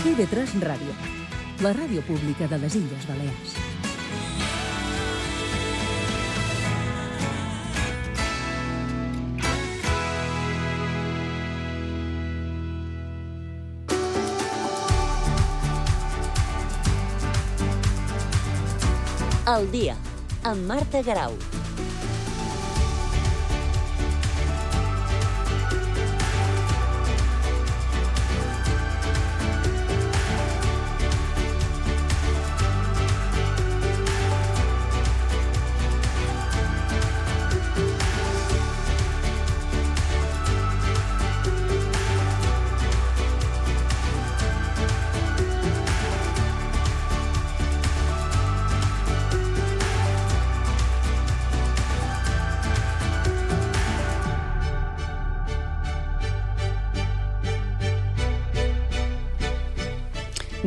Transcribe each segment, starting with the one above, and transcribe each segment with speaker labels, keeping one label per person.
Speaker 1: TV3 Ràdio, la ràdio pública de les Illes Balears.
Speaker 2: Al dia, amb Marta Garau.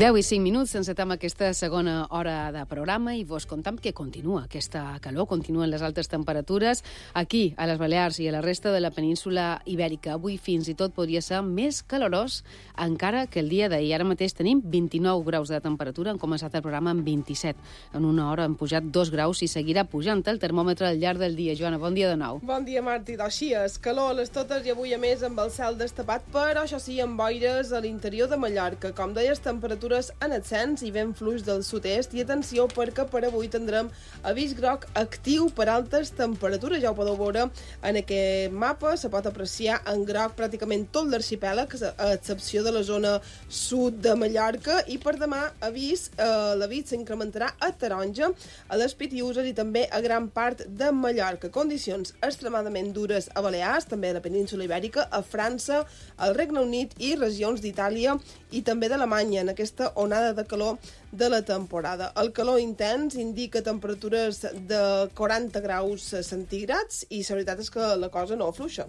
Speaker 3: Deu i 5 minuts, encetem aquesta segona hora de programa i vos contam que continua aquesta calor, continuen les altes temperatures aquí, a les Balears i a la resta de la península Ibèrica. Avui fins i tot podria ser més calorós encara que el dia d'ahir. Ara mateix tenim 29 graus de temperatura, hem començat el programa amb 27. En una hora hem pujat 2 graus i seguirà pujant el termòmetre al llarg del dia. Joana, bon dia de nou.
Speaker 4: Bon dia, Martí. Així és, calor a les totes i avui a més amb el cel destapat, però això sí, amb boires a l'interior de Mallorca. Com deies, temperatures en ascens i vent fluix del sud-est, i atenció perquè per avui tindrem avís groc actiu per altes temperatures. Ja ho podeu veure en aquest mapa, se pot apreciar en groc pràcticament tot l'arxipèlag, a excepció de la zona sud de Mallorca, i per demà l'avís s'incrementarà a taronja, a les Pitiüses i també a gran part de Mallorca. Condicions extremadament dures a Balears, també a la península Ibèrica, a França, al Regne Unit i regions d'Itàlia i també d'Alemanya en aquesta onada de calor de la temporada. El calor intens indica temperatures de 40 graus centígrads i la veritat és que la cosa no afluixa.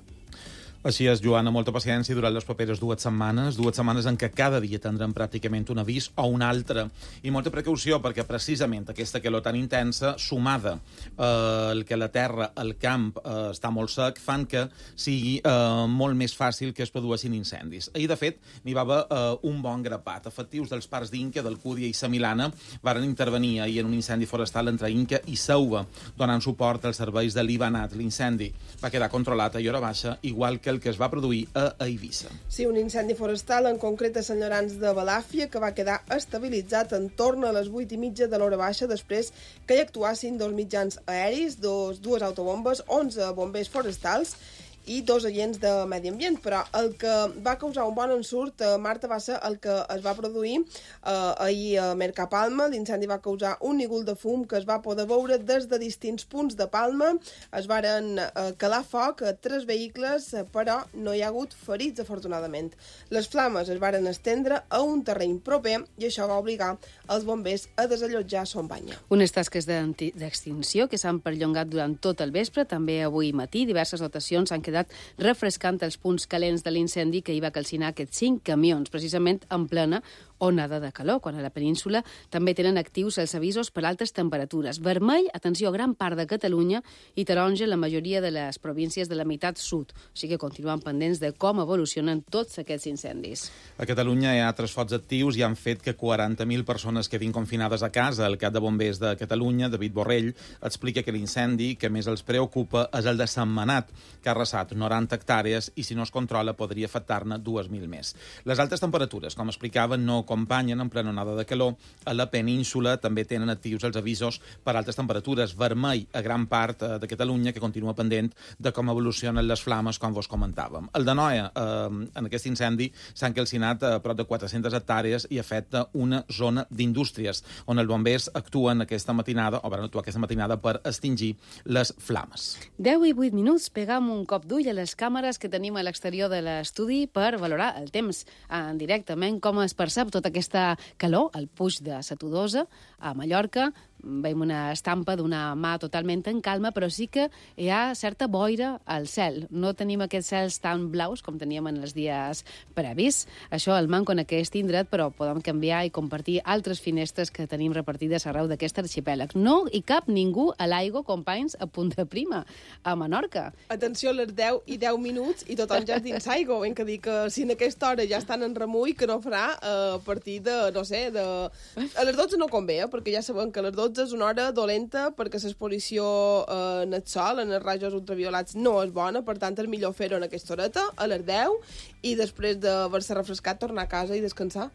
Speaker 5: Així és, Joana, molta paciència durant les properes dues setmanes en què cada dia tindrem pràcticament un avís o un altre. I molta precaució, perquè precisament aquesta calor tan intensa, sumada el que la terra, el camp, està molt sec, fan que sigui molt més fàcil que es produeixin incendis. Ahir, de fet, n'hi va haver un bon grapat. Efectius dels parcs d'Inca, d'Alcúdia i Samilana varen intervenir ahir en un incendi forestal entre Inca i Sauva, donant suport als serveis de l'Ibanat. L'incendi va quedar controlat a hora baixa, igual que el que es va produir a Eivissa.
Speaker 4: Sí, un incendi forestal, en concret a Sant Llorenç de Balàfia, que va quedar estabilitzat en torn a les 8:30 de l'hora baixa, després que hi actuassin 2 mitjans aeris, dues autobombes, 11 bombers forestals i 2 agents de medi ambient, però el que va causar un bon ensurt, Marta, va ser el que es va produir ahir a Mercapalma. L'incendi va causar un nígol de fum que es va poder veure des de distints punts de Palma. Es varen calar foc a 3 vehicles, però no hi ha hagut ferits, afortunadament. Les flames es varen estendre a un terreny proper i això va obligar els bombers a desallotjar Son Banya.
Speaker 3: Unes tasques d'extinció que s'han perllongat durant tot el vespre, també avui matí. Diverses dotacions han quedat refrescant els punts calents de l'incendi que hi va calcinar aquests 5 camions, precisament en plena onada de calor, quan a la península també tenen actius els avisos per altes temperatures. Vermell, atenció, a gran part de Catalunya, i taronja la majoria de les províncies de la meitat sud. O sigui que continuen pendents de com evolucionen tots aquests incendis.
Speaker 5: A Catalunya hi ha 3 focs actius i han fet que 40.000 persones quedin confinades a casa. El cap de bombers de Catalunya, David Borrell, explica que l'incendi que més els preocupa és el de Sentmenat, que ha arrasat 90 hectàrees i si no es controla podria afectar-ne 2.000 més. Les altes temperatures, com explicaven, no acompanyen en plena onada de calor. A la península també tenen actius els avisos per altes temperatures. Vermell a gran part de Catalunya, que continua pendent de com evolucionen les flames, com vos comentàvem. El de Noia, en aquest incendi, s'han calcinat a prop de 400 hectàrees i afecta una zona d'indústries, on els bombers actuen aquesta matinada, o van actuar aquesta matinada per extingir les flames.
Speaker 3: 10 i 8 minuts, pegam un cop d'ull a les càmeres que tenim a l'exterior de l'estudi per valorar el temps directament, com es percep tota aquesta calor, el puig de Satudosa, a Mallorca, veiem una estampa d'una mà totalment en calma, però sí que hi ha certa boira al cel. No tenim aquests cels tan blaus com teníem en els dies previs. Això el manco en aquest indret, però podem canviar i compartir altres finestres que tenim repartides arreu d'aquest arxipèlag. No hi cap ningú a l'aigua, companys, a Punta Prima, a Menorca.
Speaker 4: Atenció, a les 10 i 10 minuts i tothom ja és dins aigua. Hem que dir que si en aquesta hora ja estan en remull, que no farà a partir de, no sé, a les 12 no convé, perquè ja sabem que a les 12 és una hora dolenta perquè l'exposició en el sol, en els rajos ultraviolats, no és bona, per tant és millor fer-ho en aquesta horeta, a les 10, i després d'haver-se refrescat tornar a casa i descansar.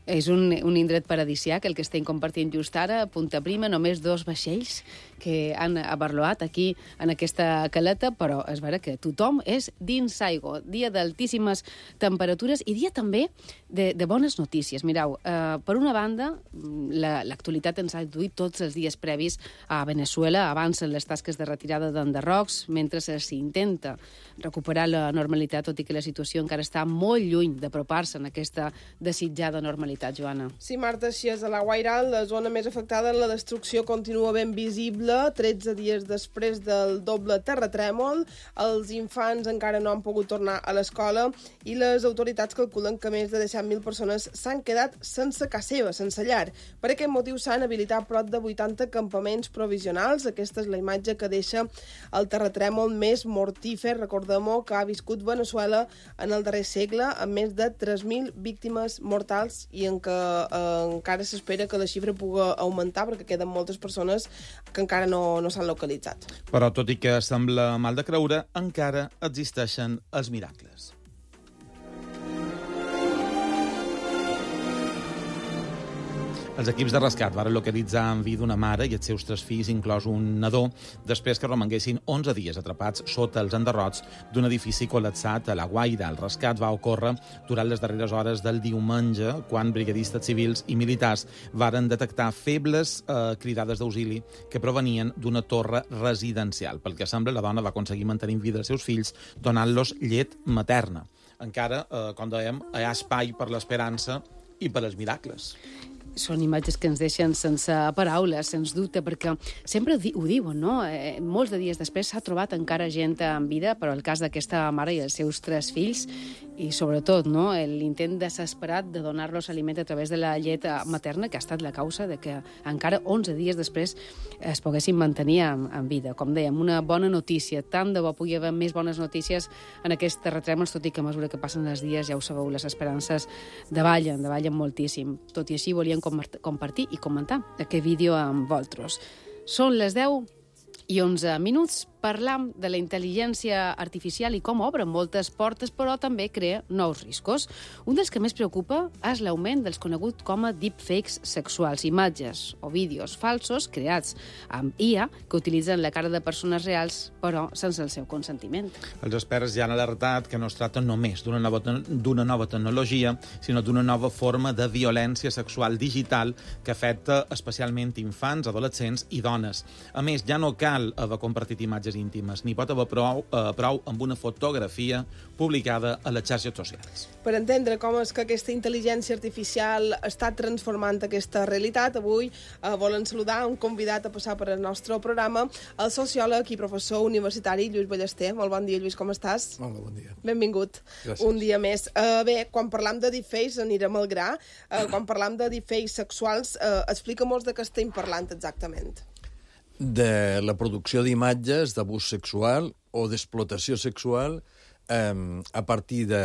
Speaker 3: És un indret paradisiac, el que estem compartint just ara, a Punta Prima, només 2 vaixells que han abarloat aquí en aquesta caleta, però és vera que tothom és dins aigua. Dia d'altíssimes temperatures i dia també de bones notícies. Mireu, per una banda, l'actualitat ens ha duit tots els dies previs a Venezuela. Avancen les tasques de retirada d'enderrocs, mentre s'intenta recuperar la normalitat, tot i que la situació encara està molt lluny d'apropar-se en aquesta desitjada normalitat, Joana.
Speaker 4: Sí, Marta, així és. A la Guairal, la zona més afectada, la destrucció continua ben visible. 13 dies després del doble terratrèmol, els infants encara no han pogut tornar a l'escola i les autoritats calculen que més de 17.000 persones s'han quedat sense casa seva, sense llar. Per aquest motiu s'han habilitat prop de 80 campaments provisionals. Aquesta és la imatge que deixa el terratrèmol més mortífer, recordem-ho, que ha viscut Venezuela en el darrer segle, amb més de 3.000 víctimes mortals i en què encara s'espera que la xifra pugui augmentar perquè queden moltes persones que encara no s'han localitzat.
Speaker 5: Però tot i que sembla mal de creure, encara existeixen els miracles. Els equips de rescat van localitzar en vida una mare i els seus 3 fills, inclòs un nadó, després que romanguessin 11 dies atrapats sota els enderrocs d'un edifici col·lapsat a La Guaira. El rescat va ocórrer durant les darreres hores del diumenge, quan brigadistes civils i militars varen detectar febles cridades d'auxili que provenien d'una torre residencial. Pel que sembla, la dona va aconseguir mantenir en vida els seus fills donant-los llet materna. Encara, com dèiem, hi ha espai per l'esperança i per als miracles.
Speaker 3: Són imatges que ens deixen sense paraules, sens dubte, perquè sempre ho diuen, no? Molts de dies després s'ha trobat encara gent en vida, però el cas d'aquesta mare i els seus 3 fills, i sobretot no, l'intent desesperat de donar-los aliment a través de la llet materna, que ha estat la causa de que encara 11 dies després es poguessin mantenir en vida. Com dèiem, una bona notícia. Tant de bo pugui haver més bones notícies en aquest terratrèmol, tot i que a mesura que passen els dies, ja ho sabeu, les esperances davallen moltíssim. Tot i així, volíem compartir i comentar aquest vídeo amb vosaltres. Són les 10 i 11 minuts. Parlam de la intel·ligència artificial i com obre moltes portes, però també crea nous riscos. Un dels que més preocupa és l'augment dels coneguts com a deepfakes sexuals, imatges o vídeos falsos creats amb IA que utilitzen la cara de persones reals, però sense el seu consentiment.
Speaker 5: Els experts ja han alertat que no es tracta només d'una nova tecnologia, sinó d'una nova forma de violència sexual digital que afecta especialment infants, adolescents i dones. A més, ja no cal haver compartit imatges íntimes, ni pot haver prou amb una fotografia publicada a les xarxes socials.
Speaker 4: Per entendre com és que aquesta intel·ligència artificial està transformant aquesta realitat, avui volen saludar un convidat a passar per el nostre programa, el sociòleg i professor universitari Lluís Ballester. Molt bon dia, Lluís, com estàs?
Speaker 6: Hola, bon dia.
Speaker 4: Benvingut.
Speaker 6: Gràcies.
Speaker 4: Un dia més. Bé, quan parlam de deepfakes, anirem al gra. Quan parlam de deepfakes sexuals, explica-mos de què estem parlant exactament.
Speaker 6: De la producció d'imatges d'abús sexual o d'explotació sexual a partir de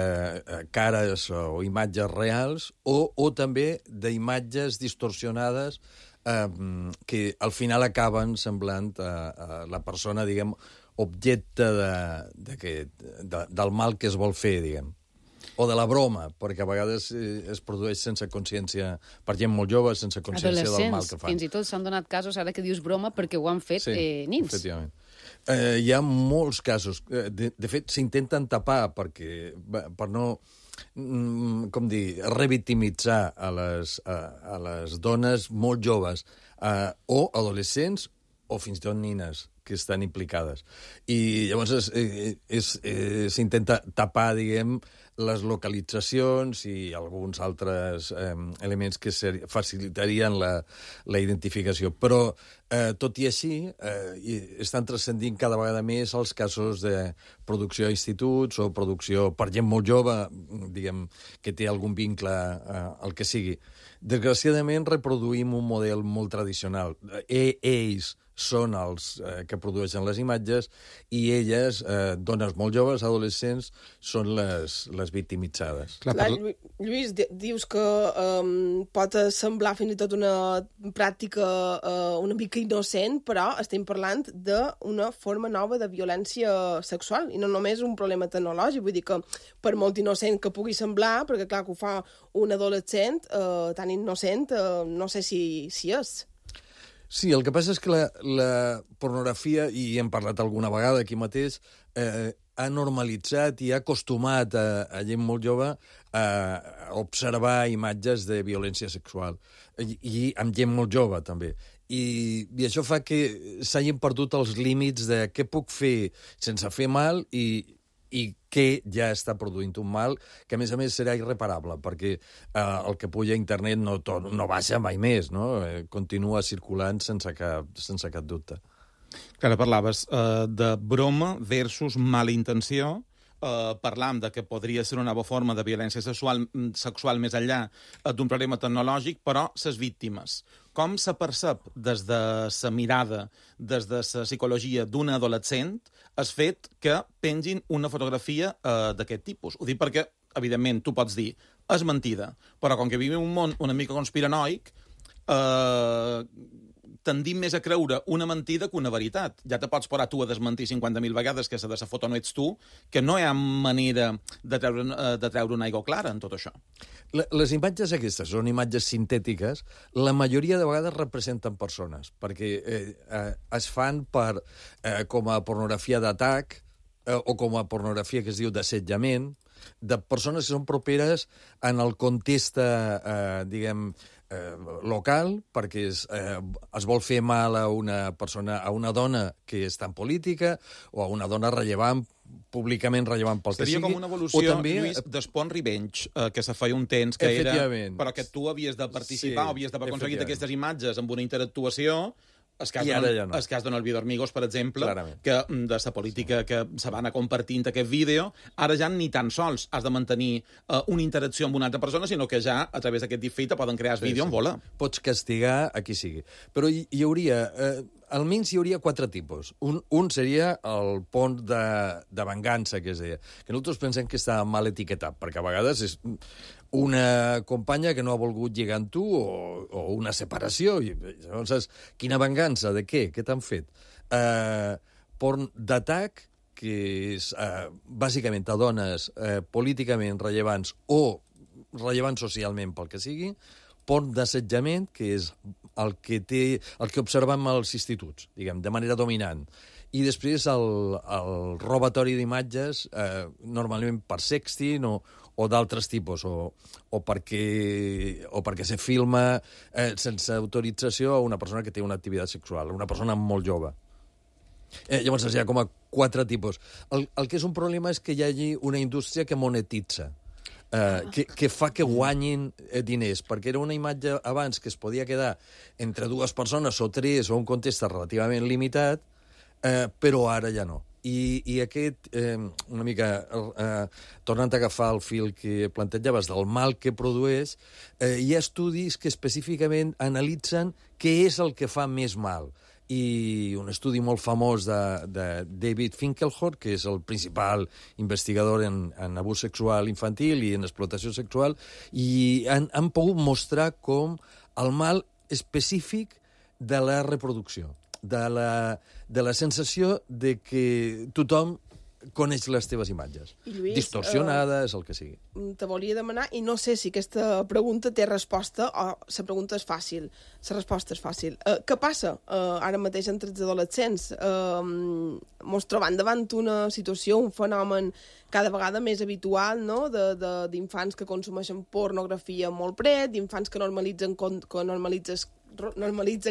Speaker 6: cares o imatges reals o també d'imatges distorsionades que al final acaben semblant a la persona, diguem, objecte del mal que es vol fer, diguem. O de la broma, perquè a vegades es produeix sense consciència, per gent molt jove, sense consciència del mal que fan.
Speaker 3: Fins i tot s'han donat casos, ara que dius broma, perquè ho han fet nins.
Speaker 6: Sí, efectivament. Hi ha molts casos. De fet, s'intenten tapar per no, com dir, revictimitzar a les dones molt joves o adolescents o fins i tot nines que estan implicades. I llavors s'intenta tapar, diguem, les localitzacions i alguns altres elements que facilitarien la identificació. Però, tot i així, estan transcendint cada vegada més els casos de producció a instituts o producció per gent molt jove, diguem, que té algun vincle al que sigui. Desgraciadament, reproduïm un model molt tradicional. Ells són els que produeixen les imatges i elles, dones molt joves, adolescents, són les victimitzades.
Speaker 4: Clar, Lluís, dius que pot semblar fins i tot una pràctica una mica innocent, però estem parlant d'una forma nova de violència sexual i no només un problema tecnològic. Vull dir que per molt innocent que pugui semblar, perquè clar que ho fa un adolescent, tan innocent, no sé si és.
Speaker 6: Sí, el que passa és que la pornografia, i hem parlat alguna vegada aquí mateix, ha normalitzat i ha acostumat a gent molt jove a observar imatges de violència sexual. I amb gent molt jove, també. I això fa que s'hagin perdut els límits de què puc fer sense fer mal i que ja està produint un mal que, a més serà irreparable, perquè el que puja a internet no baixa mai més, no? Continua circulant sense cap dubte.
Speaker 5: Ara parlaves de broma versus mala intenció. Parlam de que podria ser una nova forma de violència sexual més enllà d'un problema tecnològic, però ses víctimes. Com se percep des de la mirada, des de la psicologia d'un adolescent, el fet que pengin una fotografia d'aquest tipus? Ho dic perquè, evidentment, tu pots dir és mentida, però com que vivim un món una mica conspiranoic, tendim més a creure una mentida que una veritat. Ja te pots parar tu a desmentir 50.000 vegades que de la foto no ets tu, que no hi ha manera de treure una aigua clara en tot això.
Speaker 6: Les imatges aquestes són imatges sintètiques. La majoria de vegades representen persones, perquè es fan com a pornografia d'atac o com a pornografia que es diu d'assetjament, de persones que són properes en el context, diguem, local, perquè es vol fer mal a una persona, a una dona que està en política o a una dona rellevant, públicament rellevant pel que sigui.
Speaker 5: Seria com una evolució, també, Lluís, d'Spawn Revenge, que se feia un temps que era... Però que tu havies de participar, sí, havies d'haver aconseguit aquestes imatges amb una interactuació. El cas d'On el Vídeo Amigos, per exemple, que de la política que se van a compartint aquest vídeo, ara ja ni tan sols has de mantenir una interacció amb una altra persona, sinó que ja, a través d'aquest deepfake, poden crear el vídeo en vola.
Speaker 6: Pots castigar a qui sigui. Però hi hauria... almenys hi hauria 4 tipus. Un seria el pont de vengança, que es deia. Que nosaltres pensem que està mal etiquetat, perquè a vegades és una companya que no ha volgut lligar amb tu o una separació. I, llavors, quina vengança? De què? Què t'han fet? Pont d'atac, que és bàsicament a dones políticament rellevants o rellevants socialment pel que sigui. Pont d'assetjament, que és el que observem als instituts, diguem, de manera dominant. I després el robatori d'imatges, normalment per sexting o d'altres tipus, o perquè se filma sense autorització a una persona que té una activitat sexual, una persona molt jove. Llavors hi ha com a 4 tipus. El que és un problema és que hi hagi una indústria que monetitza, que fa que guanyin diners, perquè era una imatge abans que es podia quedar entre 2 persones o 3 o un context relativament limitat, però ara ja no. I aquest, una mica, tornant a agafar el fil que plantejaves del mal que produeix, hi ha estudis que específicament analitzen què és el que fa més mal. I un estudi molt famós de David Finkelhor, que és el principal investigador en abús sexual infantil i en explotació sexual, i han pogut mostrar com el mal específic de la reproducció, de la sensació de que tothom coneix les teves imatges.
Speaker 4: Lluís,
Speaker 6: distorsionades, el que sigui.
Speaker 4: Te volia demanar, i no sé si aquesta pregunta té resposta o la pregunta és fàcil. La resposta és fàcil. Què passa ara mateix entre els adolescents? Mos trobem davant una situació, un fenomen cada vegada més habitual, no? D'infants que consumeixen pornografia molt pret, d'infants que normalitzen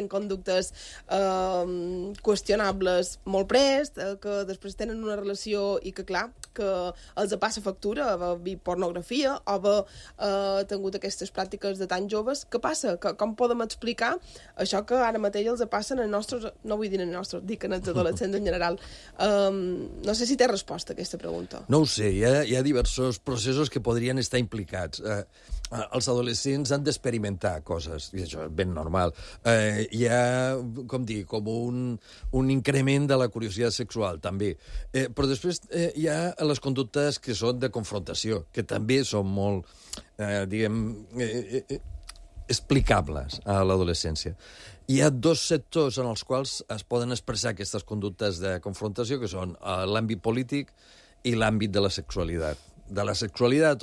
Speaker 4: conductes qüestionables molt prest, que després tenen una relació i que, clar, que els passa factura, haver pornografia o haver tingut aquestes pràctiques de tan joves. Què passa? Com podem explicar això que ara mateix els passen als nostres, no vull dir als nostres, dic als adolescents en general. No sé si té resposta a aquesta pregunta.
Speaker 6: No ho sé, hi ha diversos processos que podrien estar implicats. Els adolescents han d'experimentar coses, i això és ben normal. Hi ha, com dir, com un increment de la curiositat sexual, també. Però després hi ha les conductes que són de confrontació, que també són molt, explicables a l'adolescència. Hi ha dos sectors en els quals es poden expressar aquestes conductes de confrontació, que són l'àmbit polític i l'àmbit de la sexualitat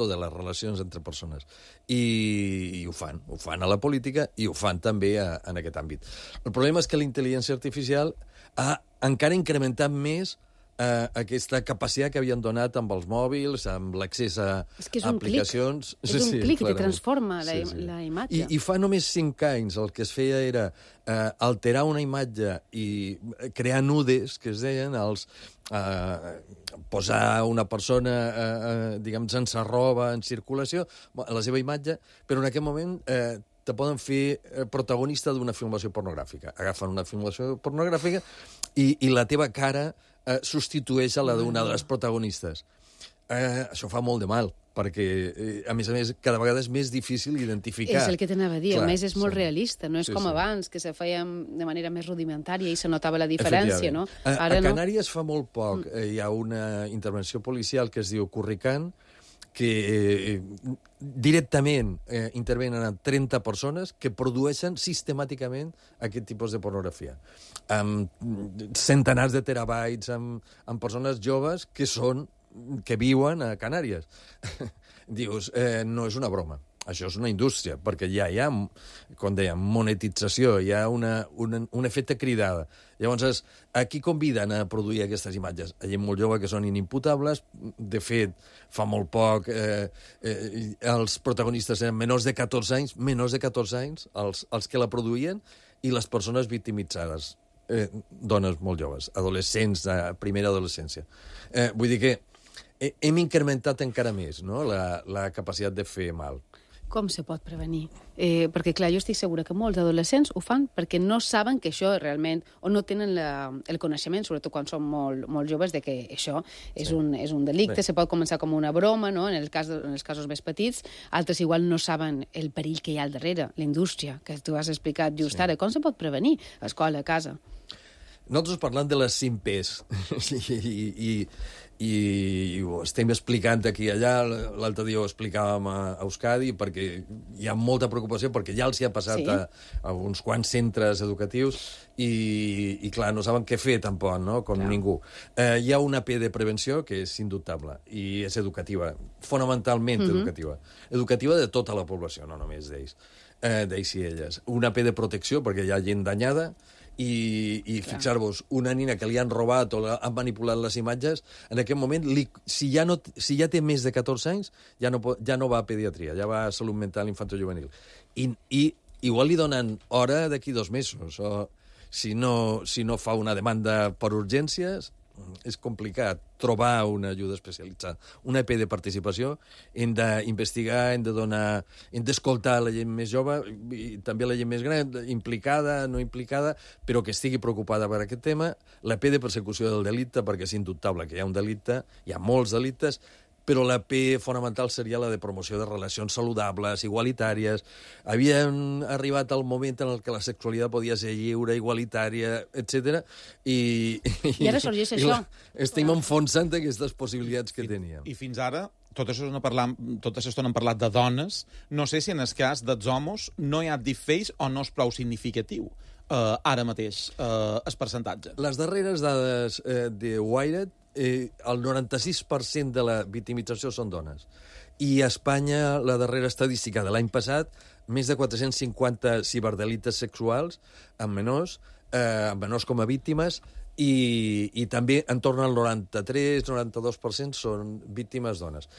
Speaker 6: o de les relacions entre persones. I ho fan a la política i ho fan també en aquest àmbit. El problema és que la intel·ligència artificial ha encara incrementat més aquesta capacitat que havien donat amb els mòbils, amb l'accés a aplicacions.
Speaker 3: És un clic que transforma la imatge.
Speaker 6: I fa només 5 anys el que es feia era alterar una imatge i crear nudes, que es deien, posar una persona, diguem, sense roba en circulació, la seva imatge, però en aquest moment te poden fer protagonista d'una filmació pornogràfica. Agafen una filmació pornogràfica i la teva cara substitueix a la d'una de les protagonistes. Això fa molt de mal, perquè, a més, cada vegada és més difícil identificar.
Speaker 3: És el que t'anava a dir, a més és molt realista, no és com abans, que se feia de manera més rudimentària i se notava la diferència, no?
Speaker 6: A Canàries fa molt poc hi ha una intervenció policial que es diu Curricán, que directament intervenen en 30 persones que produeixen sistemàticament aquest tipus de pornografia. Amb centenars de terabytes, amb persones joves que viuen a Canàries. Dius, no és una broma. Això és una indústria, perquè ja hi ha, com dèiem, monetització, hi ha un efecte cridada. Llavors, a qui conviden a produir aquestes imatges? A gent molt jove que són inimputables. De fet, fa molt poc els protagonistes eren menors de 14 anys, els que la produïen, i les persones victimitzades. Dones molt joves, adolescents, de primera adolescència. Vull dir que hem incrementat encara més, no?, la capacitat de fer mal.
Speaker 3: Com se pot prevenir? Perquè, clar, jo estic segura que molts adolescents ho fan perquè no saben que això realment, o no tenen el coneixement, sobretot quan són molt joves, de que això és un delicte. Se pot començar com una broma, no?, en els casos més petits. Altres igual no saben el perill que hi ha al darrere, la indústria, que tu has explicat just ara. Com se pot prevenir a escola, a casa?
Speaker 6: Nosaltres parlant de les 5 P's i ho estem explicant aquí i allà, l'altre dia ho explicàvem a Euskadi, perquè hi ha molta preocupació, perquè ja els hi ha passat a uns quants centres educatius i clar, no saben què fer tampoc, no?, com ningú. Hi ha una P de prevenció que és indubtable i és educativa, fonamentalment educativa. Educativa de tota la població, no només d'ells i elles. Una P de protecció, perquè hi ha gent danyada, i fixar-vos, una nina que li han robat o han manipulat les imatges, en aquest moment, si ja té més de 14 anys, ja no va a pediatria, ja va a salut mental infantojuvenil. I igual li donen hora d'aquí 2 mesos, o si no fa una demanda per urgències, és complicat trobar una ajuda especialitzada. Una EP de participació, hem d'investigar, hem d'escoltar la gent més jove i també la gent més gran, implicada, no implicada, però que estigui preocupada per aquest tema. La P de persecució del delicte, perquè és indubtable que hi ha un delicte, hi ha molts delictes, però la P fonamental seria la de promoció de relacions saludables, igualitàries. Havíem arribat al moment en què la sexualitat podia ser lliure, igualitària, etc. I
Speaker 3: ara sorgeix això.
Speaker 6: Estem enfonsant aquestes possibilitats que teníem.
Speaker 5: I fins ara, tot això hem parlat de dones. No sé si en el cas dels homes no hi ha deepfakes o no és prou significatiu ara mateix el percentatge. Les
Speaker 6: darreres dades de Wired, el 96% de la victimització són dones. I a Espanya, la darrera estadística de l'any passat, més de 450 ciberdelictes sexuals amb menors com a víctimes, i també en torn al 93-92% són víctimes dones.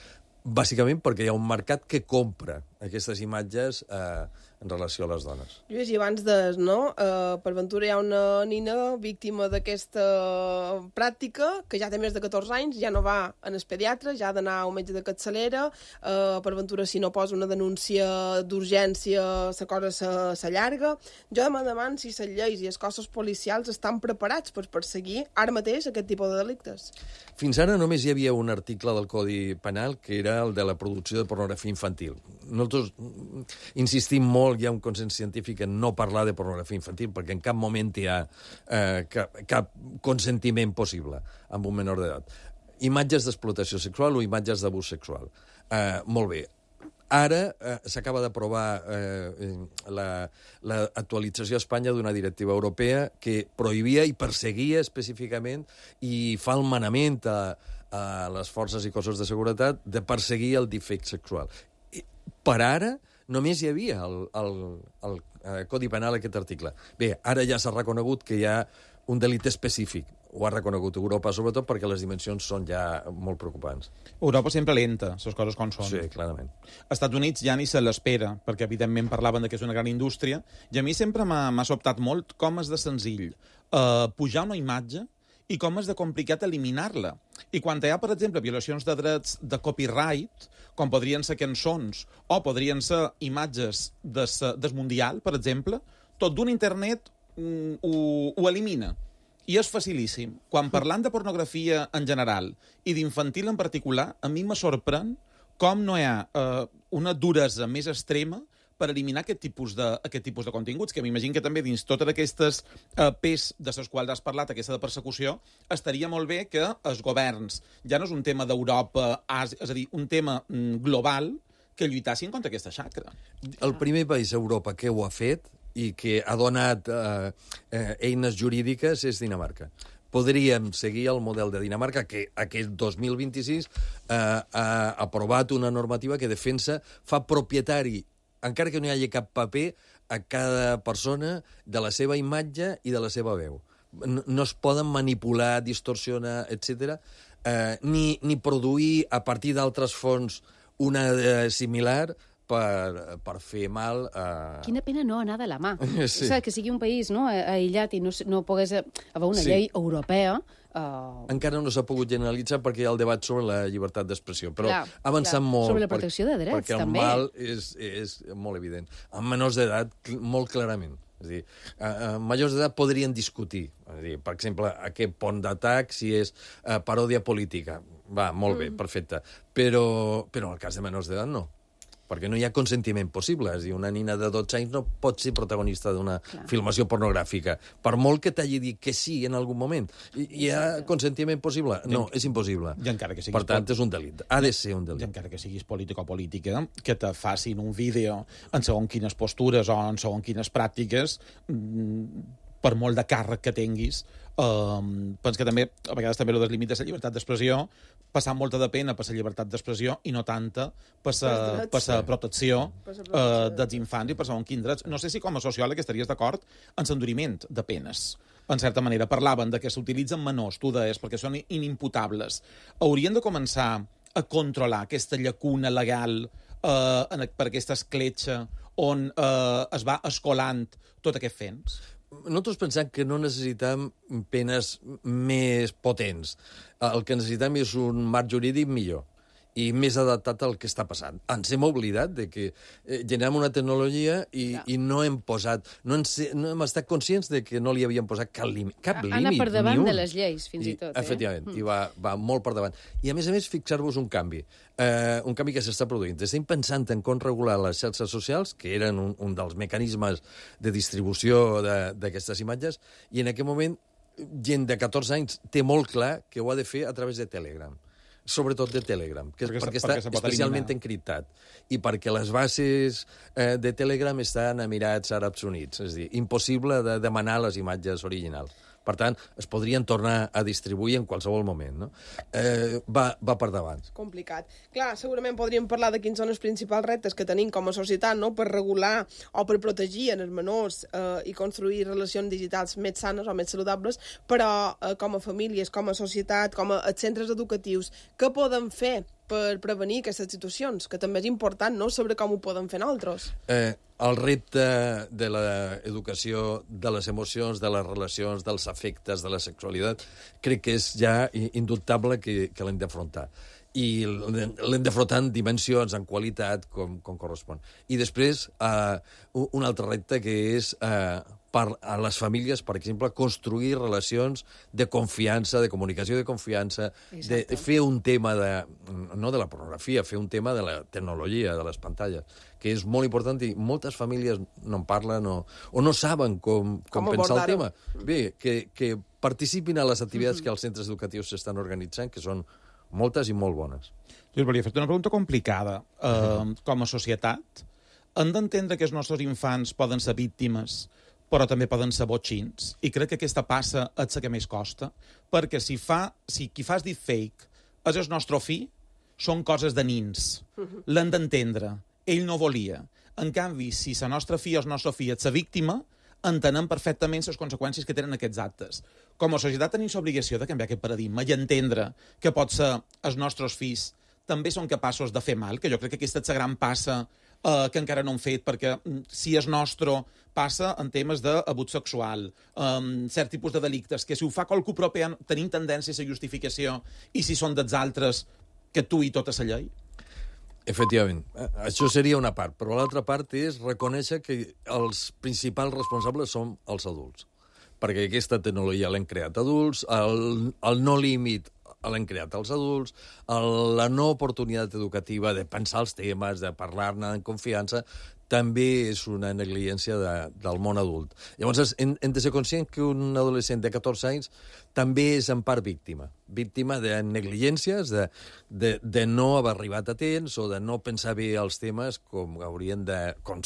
Speaker 6: Bàsicament perquè hi ha un mercat que compra aquestes imatges en relació a les dones.
Speaker 4: Lluís, i abans no? Per ventura hi ha una nina víctima d'aquesta pràctica que ja té més de 14 anys, ja no va en el pediatre, ja ha d'anar a un metge de capçalera, per ventura si no posa una denúncia d'urgència la cosa s'allarga. Jo demano si les lleis i els cossos policials estan preparats per perseguir ara mateix aquest tipus de delictes.
Speaker 6: Fins ara només hi havia un article del Codi Penal que era el de la producció de pornografia infantil. Nosaltres insistim molt, hi ha un consens científic en no parlar de pornografia infantil perquè en cap moment hi ha cap consentiment possible amb un menor d'edat. Imatges d'explotació sexual o imatges d'abús sexual. Molt bé. Ara s'acaba d'aprovar l'actualització a Espanya d'una directiva europea que prohibia i perseguia específicament i fa el manament a les forces i cossos de seguretat de perseguir el defecte sexual. Per ara només hi havia el Codi Penal aquest article. Bé, ara ja s'ha reconegut que hi ha un delicte específic. Ho ha reconegut Europa, sobretot perquè les dimensions són ja molt preocupants.
Speaker 5: Europa sempre lenta, les coses com són.
Speaker 6: Sí, clarament.
Speaker 5: Als Estats Units ja ni se l'espera, perquè evidentment parlaven que és una gran indústria, i a mi sempre m'ha sobtat molt com és de senzill pujar una imatge i com és de complicat eliminar-la. I quan hi ha, per exemple, violacions de drets de copyright, com podrien ser cançons o podrien ser imatges del Mundial, per exemple, tot d'un internet ho elimina. I és facilíssim. Quan parlant de pornografia en general i d'infantil en particular, a mi me sorprèn com no hi ha una duresa més extrema per eliminar aquest tipus de continguts, que m'imagino que també dins totes aquestes pes de les quals has parlat, aquesta de persecució, estaria molt bé que els governs, ja no és un tema d'Europa, és a dir, un tema global, que lluitassin contra aquesta xacra.
Speaker 6: El primer país a Europa que ho ha fet i que ha donat eines jurídiques és Dinamarca. Podríem seguir el model de Dinamarca, que aquest 2026 ha aprovat una normativa que defensa, fa propietari, encara que no hi hagi cap paper, a cada persona de la seva imatge i de la seva veu. No es poden manipular, distorsionar, etc. Ni produir a partir d'altres fonts una similar per fer mal a...
Speaker 3: Quina pena no anar de la mà.
Speaker 6: Sí.
Speaker 3: Que sigui un país aïllat i no pogués haver una llei europea...
Speaker 6: Encara no s'ha pogut generalitzar perquè hi ha el debat sobre la llibertat d'expressió, però ha avançat molt...
Speaker 3: Sobre la protecció de drets,
Speaker 6: perquè
Speaker 3: també.
Speaker 6: Perquè el mal és molt evident. Amb menors d'edat, molt clarament. És a dir, majors d'edat podrien discutir. És a dir, per exemple, aquest pont d'atac, si és paròdia política. Va, molt bé, perfecte. Però en el cas de menors d'edat no. Perquè no hi ha consentiment possible. És a dir, una nina de 12 anys no pot ser protagonista d'una filmació pornogràfica. Per molt que t'hagi dit que sí en algun moment. Hi ha consentiment possible? No, és impossible.
Speaker 5: I encara que siguis
Speaker 6: per tant, és un delicte. Ha de ser un delicte.
Speaker 5: I encara que siguis polític o política, que te facin un vídeo en segons quines postures o en segons quines pràctiques, per molt de càrrec que tinguis, penso que també, a vegades també el límit de la llibertat d'expressió, passar molta de pena per la llibertat d'expressió i no tanta per la protecció dels infants i per segons quins drets. No sé si com a sociòleg estaries d'acord en l'enduriment de penes. En certa manera, parlaven de que s'utilitzen menors, tu deies, perquè són inimputables. Haurien de començar a controlar aquesta llacuna legal per aquesta escletxa on es va escolant tot aquest fens?
Speaker 6: Nosaltres pensem que no necessitem penes més potents. El que necessitem és un marc jurídic millor i més adaptat al que està passant. Ens hem oblidat de que generem una tecnologia i no hem posat... No hem estat conscients de que no li havíem posat cap límit.
Speaker 3: Anar per davant de les lleis, fins i tot.
Speaker 6: Efectivament, i va molt per davant. I, a més, fixar-vos un canvi que s'està produint. Estem pensant en com regular les xarxes socials, que eren un dels mecanismes de distribució d'aquestes imatges, i en aquest moment gent de 14 anys té molt clar que ho ha de fer a través de Telegram. Sobretot de Telegram, perquè està especialment encriptat. I perquè les bases de Telegram estan a Emirats Àrabs Units. És a dir, impossible de demanar les imatges originals. Per tant, es podrien tornar a distribuir en qualsevol moment, no? Va per davant.
Speaker 4: Complicat. Clar, segurament podríem parlar de quins són els principals reptes que tenim com a societat, no?, per regular o per protegir en els menors i construir relacions digitals més sanes o més saludables, però com a famílies, com a societat, com a centres educatius, què podem fer per prevenir aquestes situacions? Que també és important, no?, saber com ho podem fer nosaltres.
Speaker 6: El repte de l'educació de les emocions, de les relacions, dels afectes, de la sexualitat, crec que és ja indubtable que l'hem d'afrontar. I l'hem d'afrontar en dimensions, en qualitat, com correspon. I després, un altre repte que és a les famílies, per exemple, construir relacions de confiança, de comunicació de confiança, de fer un tema no de la pornografia, fer un tema de la tecnologia, de les pantalles, que és molt important i moltes famílies no en parlen o no saben com pensar el tema. Bé, que participin a les activitats que els centres educatius s'estan organitzant, que són moltes i molt bones.
Speaker 5: Jo us volia fer una pregunta complicada. Com a societat, hem d'entendre que els nostres infants poden ser víctimes, però també poden ser botxins. I crec que aquesta passa és la que més costa, perquè si qui fa el deepfake és el nostre fill, són coses de nins. L'hem d'entendre. Ell no volia. En canvi, si la nostra filla o el nostre fill és la víctima, entenem perfectament les conseqüències que tenen aquests actes. Com a societat tenim l'obligació de canviar aquest paradigma i entendre que pot ser els nostres fills també són capaços de fer mal, que jo crec que aquesta és la gran passa que encara no hem fet, perquè si és nostre passa en temes d'abús sexual, cert tipus de delictes, que si ho fa qualcú propi tenim tendència a la justificació, i si són dels altres que tu i tota la llei?
Speaker 6: Efectivament. Això seria una part, però l'altra part és reconèixer que els principals responsables són els adults, perquè aquesta tecnologia l'hem creat adults, el no límit l'hem creat els adults, la no oportunitat educativa de pensar els temes, de parlar-ne en confiança, també és una negligència del món adult. Llavors, hem de ser conscient que un adolescent de 14 anys també és en part víctima de negligències, de no haver arribat a temps o de no pensar bé els temes com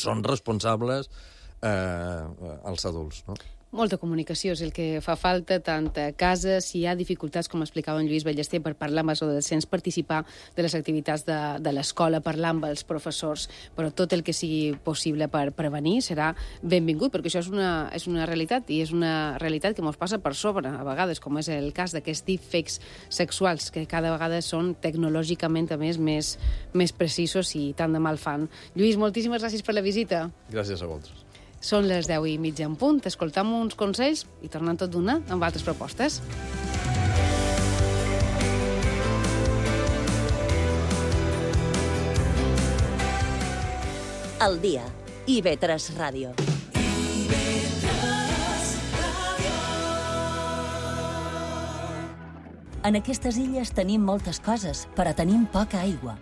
Speaker 6: són responsables els adults, no?
Speaker 3: Molta comunicació és el que fa falta, tant a casa, si hi ha dificultats, com explicava en Lluís Ballester, per parlar amb els adolescents, participar de les activitats de l'escola, parlar amb els professors, però tot el que sigui possible per prevenir serà benvingut, perquè això és una realitat, i és una realitat que ens passa per sobre, a vegades, com és el cas d'aquests deepfakes sexuals, que cada vegada són tecnològicament, a més precisos i tant de mal fan. Lluís, moltíssimes gràcies per la visita.
Speaker 6: Gràcies a vosaltres.
Speaker 3: Són les 10:30 en punt. Escoltam uns consells i tornem tot d'una amb altres propostes.
Speaker 2: El dia. IB3 Ràdio. En aquestes illes tenim moltes coses, però tenim poca aigua.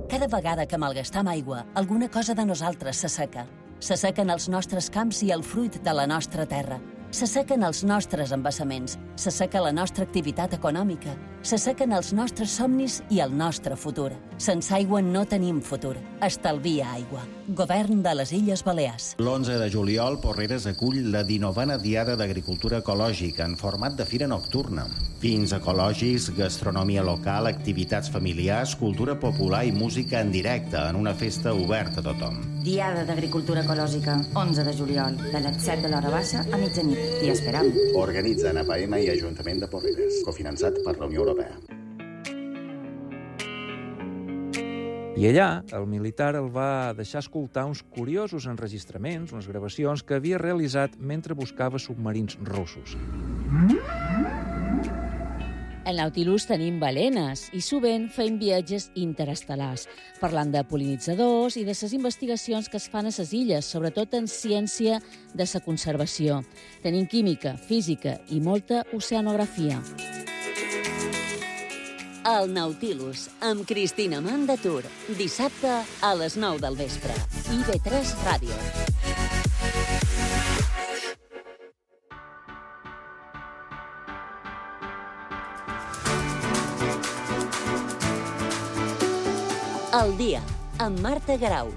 Speaker 2: Cada vegada que malgastam aigua, alguna cosa de nosaltres s'asseca. S'assequen els nostres camps i el fruit de la nostra terra. S'assequen els nostres embassaments. S'asseca la nostra activitat econòmica. S'assequen els nostres somnis i el nostre futur. Sense aigua no tenim futur. Estalvia aigua. Govern de les Illes Balears.
Speaker 7: L'11 de juliol, Porreres acull la 19a Diada d'Agricultura Ecològica en format de fira nocturna. Vins ecològics, gastronomia local, activitats familiars, cultura popular i música en directe en una festa oberta a tothom.
Speaker 8: Diada d'Agricultura Ecològica, 11 de juliol, de les 7 de l'hora baixa a mitjanit. T'hi esperam.
Speaker 7: Organitzen APM i Ajuntament de Porreres, cofinançat per la Unió Europea.
Speaker 9: I allà, el militar el va deixar escoltar uns curiosos enregistraments, unes gravacions que havia realitzat mentre buscava submarins russos.
Speaker 10: Al Nautilus tenim balenes i sovint fem viatges interestel·lars, parlant de pol·linitzadors i de les investigacions que es fan a les illes, sobretot en ciència de la conservació. Tenim química, física i molta oceanografia.
Speaker 2: El Nautilus, amb Cristina Mandatur. Dissabte a les 9 del vespre. IB3 Ràdio. El dia, amb Marta Garau.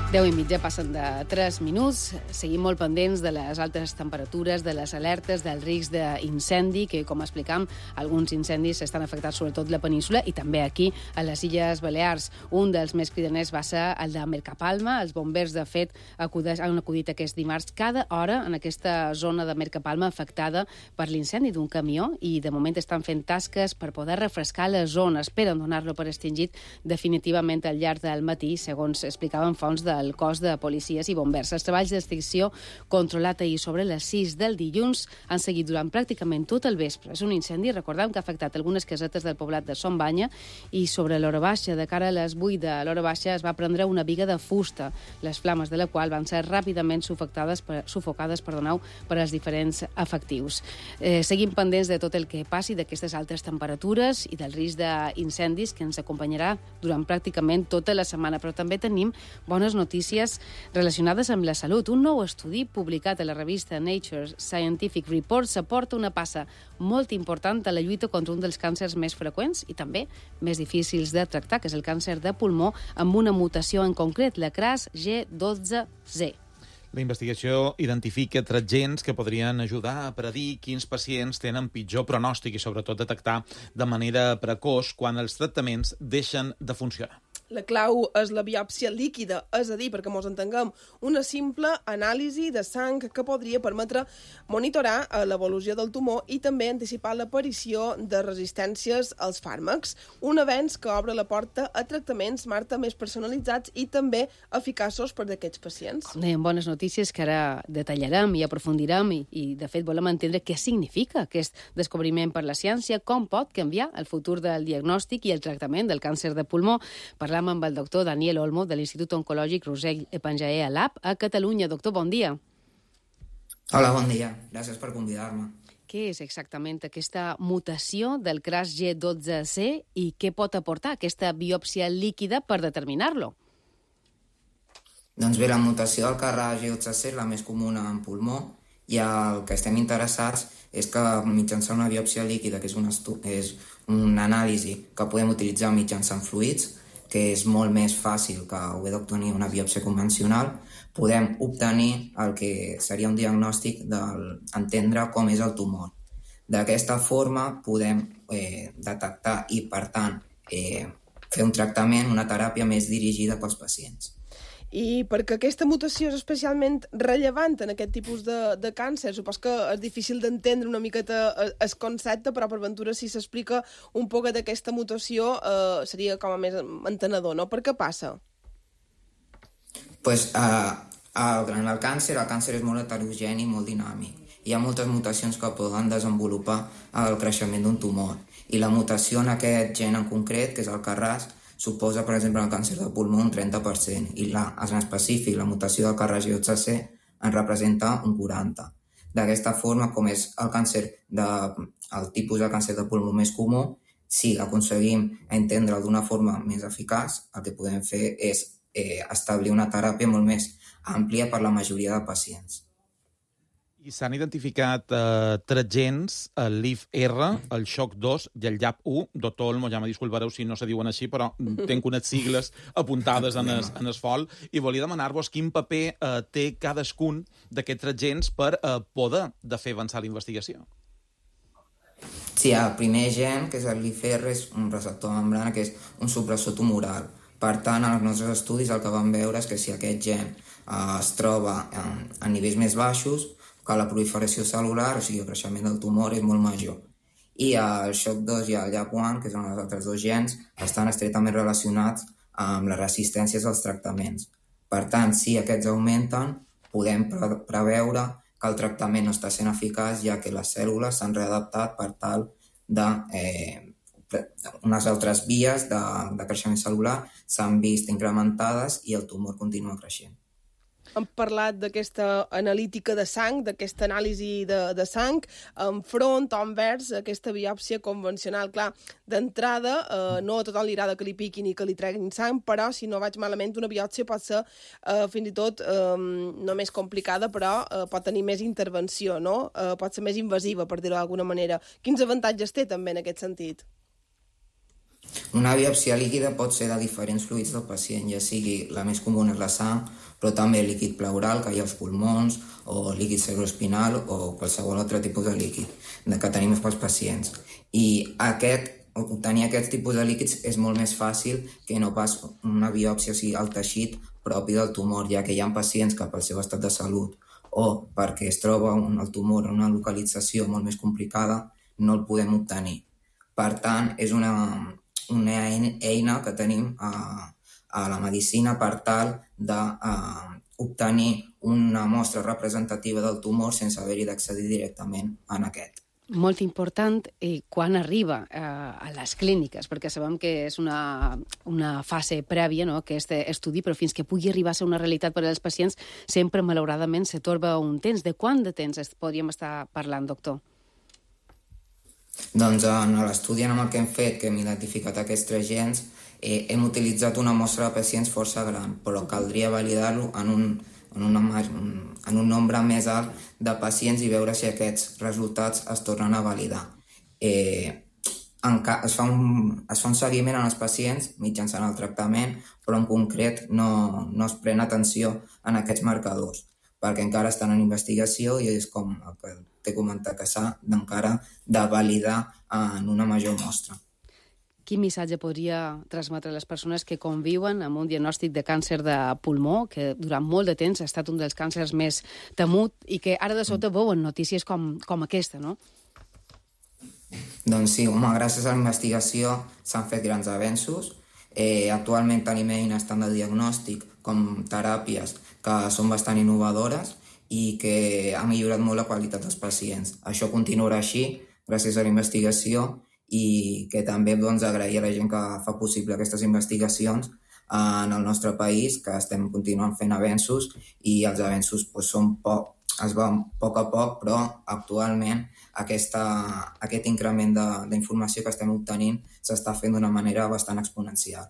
Speaker 3: 10:30 passen de 3 minuts. Seguim molt pendents de les altes temperatures, de les alertes, del risc d'incendi, que, com explicam, alguns incendis estan afectats sobretot la península i també aquí, a les Illes Balears. Un dels més cridaners va ser el de Mercapalma. Els bombers, de fet, han acudit aquest dimarts cada hora en aquesta zona de Mercapalma afectada per l'incendi d'un camió i, de moment, estan fent tasques per poder refrescar la zona. Esperen donar-lo per extingit definitivament al llarg del matí, segons explicaven fonts del cos de policies i bombers. Els treballs d'extinció controlat ahir sobre les 6 del dilluns han seguit durant pràcticament tot el vespre. És un incendi, recordem, que ha afectat algunes casetes del poblat de Son Banya i sobre l'hora baixa, de cara a les 8 de l'hora baixa, es va prendre una biga de fusta, les flames de la qual van ser ràpidament sufocades per als diferents efectius. Seguim pendents de tot el que passi, d'aquestes altes temperatures i del risc d'incendis que ens acompanyarà durant pràcticament tota la setmana, però també tenim bones notícies relacionades amb la salut. Un nou estudi publicat a la revista Nature Scientific Reports aporta una passa molt important a la lluita contra un dels càncers més freqüents i també més difícils de tractar, que és el càncer de pulmó, amb una mutació en concret, la CRAS G12C.
Speaker 5: La investigació identifica 3 gens que podrien ajudar a predir quins pacients tenen pitjor pronòstic i, sobretot, detectar de manera precoç quan els tractaments deixen de funcionar.
Speaker 4: La clau és la biòpsia líquida, és a dir, perquè ens entenguem, una simple anàlisi de sang que podria permetre monitorar l'evolució del tumor i també anticipar l'aparició de resistències als fàrmacs. Un avenç que obre la porta a tractaments, Marta, més personalitzats i també eficaços per d'aquests pacients.
Speaker 3: Com dèiem, bones notícies que ara detallarem i aprofundirem i de fet, volem entendre què significa aquest descobriment per la ciència, com pot canviar el futur del diagnòstic i el tractament del càncer de pulmó. Parlem amb el doctor Daniel Olmo, de l'Institut Oncològic Roser Epanjaé Lab a Catalunya. Doctor, bon dia.
Speaker 11: Hola, bon dia. Gràcies per convidar-me.
Speaker 3: Què és exactament aquesta mutació del CRAS G12C i què pot aportar aquesta biòpsia líquida per determinar-lo?
Speaker 11: Doncs bé, la mutació del CRAS G12C és la més comuna en pulmó i el que estem interessats és que mitjançant una biòpsia líquida, que és una anàlisi que podem utilitzar mitjançant fluids, que és molt més fàcil que haver d'obtenir una biòpsia convencional, podem obtenir el que seria un diagnòstic d'entendre com és el tumor. D'aquesta forma podem detectar i, per tant, fer un tractament, una teràpia més dirigida pels pacients.
Speaker 4: I perquè aquesta mutació és especialment rellevant en aquest tipus de càncer, supos que és difícil d'entendre una miqueta el concepte, però per ventura si s'explica un poc d'aquesta mutació seria com a més entenedor, no? Per què passa?
Speaker 11: Pues, en el càncer és molt heterogeni, molt dinàmic. Hi ha moltes mutacions que poden desenvolupar el creixement d'un tumor. I la mutació en aquest gen en concret, que és el CRAS, suposa, per exemple, el càncer de pulmó un 30%, i en específic la mutació del CRAS G12C en representa un 40%. D'aquesta forma, com és el tipus de càncer de pulmó més comú, si aconseguim entendre'l d'una forma més eficaç, el que podem fer és establir una teràpia molt més àmplia per la majoria de pacients.
Speaker 5: I s'han identificat 3 gens, el LIF-R, el SHOC2 i el YAP1. Doctor Olmo, ja me disculpareu si no se diuen així, però tenc unes sigles apuntades en el fol i volia demanar-vos quin paper té cadascun d'aquests 3 gens per poder fer avançar la investigació.
Speaker 11: Sí, el primer gen, que és el LIF-R, és un receptor de membrana que és un supressor tumoral. Per tant, en els nostres estudis el que vam veure és que si aquest gen es troba a nivells més baixos, que la proliferació cel·lular, o sigui, el creixement del tumor, és molt major. I el SHOC2 i el YAP1, que són els altres 2 gens, estan estretament relacionats amb les resistències als tractaments. Per tant, si aquests augmenten, podem preveure que el tractament no està sent eficaç, ja que les cèl·lules s'han readaptat per tal de unes altres vies de creixement cel·lular s'han vist incrementades i el tumor continua creixent.
Speaker 4: Hem parlat d'aquesta analítica de sang, d'aquesta anàlisi de sang, enfront o envers aquesta biòpsia convencional. Clar, d'entrada, no a tothom li agrada que li piquin i que li treguin sang, però, si no vaig malament, una biòpsia pot ser fins i tot no més complicada, però pot tenir més intervenció, no? Pot ser més invasiva, per dir-ho d'alguna manera. Quins avantatges té també en aquest sentit?
Speaker 11: Una biòpsia líquida pot ser de diferents fluids del pacient, ja sigui la més comuna és la sang, però també líquid pleural, que hi ha als pulmons, o líquid cerebroespinal, o qualsevol altre tipus de líquid que tenim pels pacients. I obtenir aquest tipus de líquids és molt més fàcil que no pas una biòpsia, o sigui, el teixit propi del tumor, ja que hi ha pacients que pel seu estat de salut o perquè es troba el tumor en una localització molt més complicada, no el podem obtenir. Per tant, és una eina que tenim a la medicina per tal d'obtenir una mostra representativa del tumor sense haver-hi d'accedir directament en aquest.
Speaker 3: Molt important quan arriba a les clíniques, perquè sabem que és una fase prèvia, no?, aquest estudi, però fins que pugui arribar a ser una realitat per als pacients, sempre, malauradament, se torba un temps. De quant de temps podríem estar parlant, doctor?
Speaker 11: Doncs en l'estudi en el que hem fet, que hem identificat aquests 3 gens, hem utilitzat una mostra de pacients força gran, però caldria validar-lo en un nombre més alt de pacients i veure si aquests resultats es tornen a validar. Es fa un seguiment en els pacients mitjançant el tractament, però en concret no es pren atenció en aquests marcadors, perquè encara estan en investigació i és com el que t'he comentat, que s'ha encara de validar en una major mostra.
Speaker 3: Quin missatge podria transmetre a les persones que conviuen amb un diagnòstic de càncer de pulmó, que durant molt de temps ha estat un dels càncers més temut i que ara de sota veuen notícies com aquesta, no?
Speaker 11: Doncs sí, gràcies a la investigació s'han fet grans avenços. Actualment tenim eines tant de diagnòstic com teràpies que són bastant innovadores i que ha millorat molt la qualitat dels pacients. Això continuarà així gràcies a la investigació i que també agrair a la gent que fa possible aquestes investigacions en el nostre país, que estem continuant fent avenços i els avenços es van a poc a poc, però actualment aquest increment d'informació que estem obtenint s'està fent d'una manera bastant exponencial.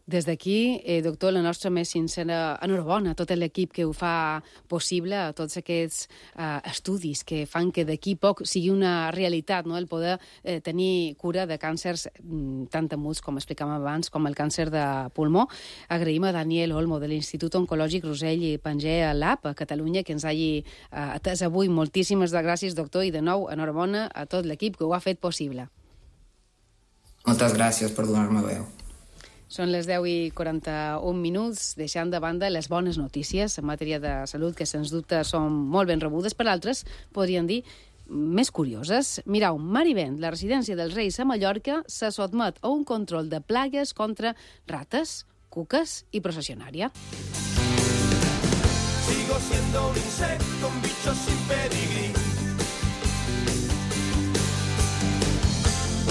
Speaker 3: Des d'aquí, doctor, la nostra més sincera enhorabona a tot l'equip que ho fa possible, a tots aquests estudis que fan que d'aquí poc sigui una realitat, no?, el poder tenir cura de càncers tan temuts, com explicàvem abans, com el càncer de pulmó. Agraïm a Daniel Olmo, de l'Institut Oncològic Rosell i Pangea Lab a Catalunya, que ens hagi atès avui. Moltíssimes gràcies, doctor, i de nou, enhorabona a tot l'equip que ho ha fet possible.
Speaker 11: Moltes gràcies per donar-me veu.
Speaker 3: Són les 10:41, deixant de banda les bones notícies en matèria de salut, que sens dubte són molt ben rebudes, per altres, podríem dir, més curioses. Mireu, Marivent, la residència dels Reis a Mallorca, se sotmet a un control de plagues contra rates, cuques i processionària. Sigo siendo un insecto, un bicho sin pedigrí.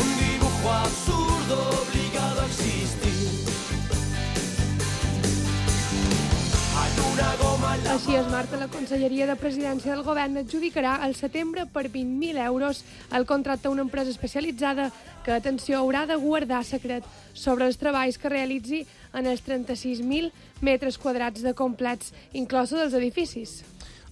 Speaker 3: Un dibujo absurdo obligado a existir.
Speaker 12: Així es, Marta, la Conselleria de Presidència del Govern adjudicarà al setembre per 20.000 euros el contracte a una empresa especialitzada que, atenció, haurà de guardar secret sobre els treballs que realitzi en els 36.000 metres quadrats de complets, inclosos dels edificis.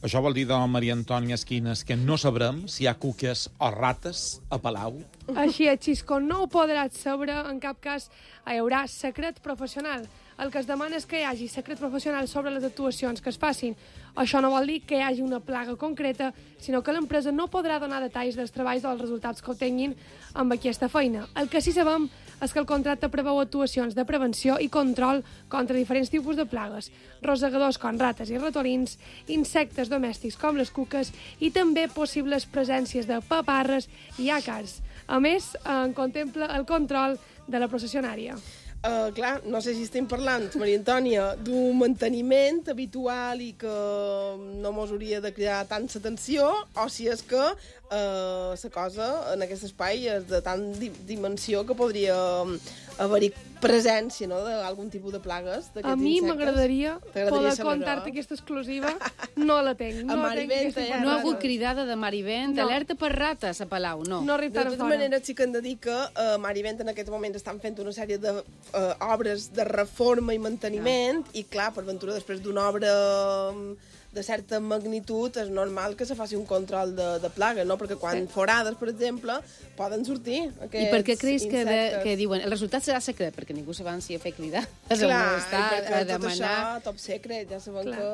Speaker 5: Això vol dir, Maria Antònia Esquines, que no sabrem si hi ha cuques o rates a Palau?
Speaker 12: Així és, Xisco, no ho podràs saber, en cap cas hi haurà secret professional. El que es demana és que hi hagi secret professional sobre les actuacions que es facin. Això no vol dir que hi hagi una plaga concreta, sinó que l'empresa no podrà donar detalls dels treballs o dels resultats que obtenguin amb aquesta feina. El que sí sabem és que el contracte preveu actuacions de prevenció i control contra diferents tipus de plagues, rosegadors com rates i ratolins, insectes domèstics com les cuques i també possibles presències de paparres i àcars. A més, contempla el control de la processionària.
Speaker 4: Clar, no sé si estem parlant, Maria Antònia, d'un manteniment habitual i que no mos hauria de cridar tanta atenció, o si és que la cosa en aquest espai és de tant dimensió que podria haver-hi presència, no?, d'algun tipus de plagues d'aquests insectes.
Speaker 12: A mi m'agradaria poder contar-te aquesta exclusiva. No la tenc.
Speaker 3: No ha hagut cridada de Marivent, alerta per rates a Palau, no.
Speaker 12: No arriba tan
Speaker 4: fora. De tota manera, sí que hem de dir que Marivent en aquest moment estan fent una sèrie d'obres de reforma i manteniment, i clar, per ventura, després d'una obra de certa magnitud és normal que se faci un control de plaga, no? Perquè quan forades, per exemple, poden sortir aquests
Speaker 3: I per què creus que diuen el resultat serà secret? Perquè ningú s'avanci a fer cridar.
Speaker 4: Clar, perquè tot això, top secret, ja sabem que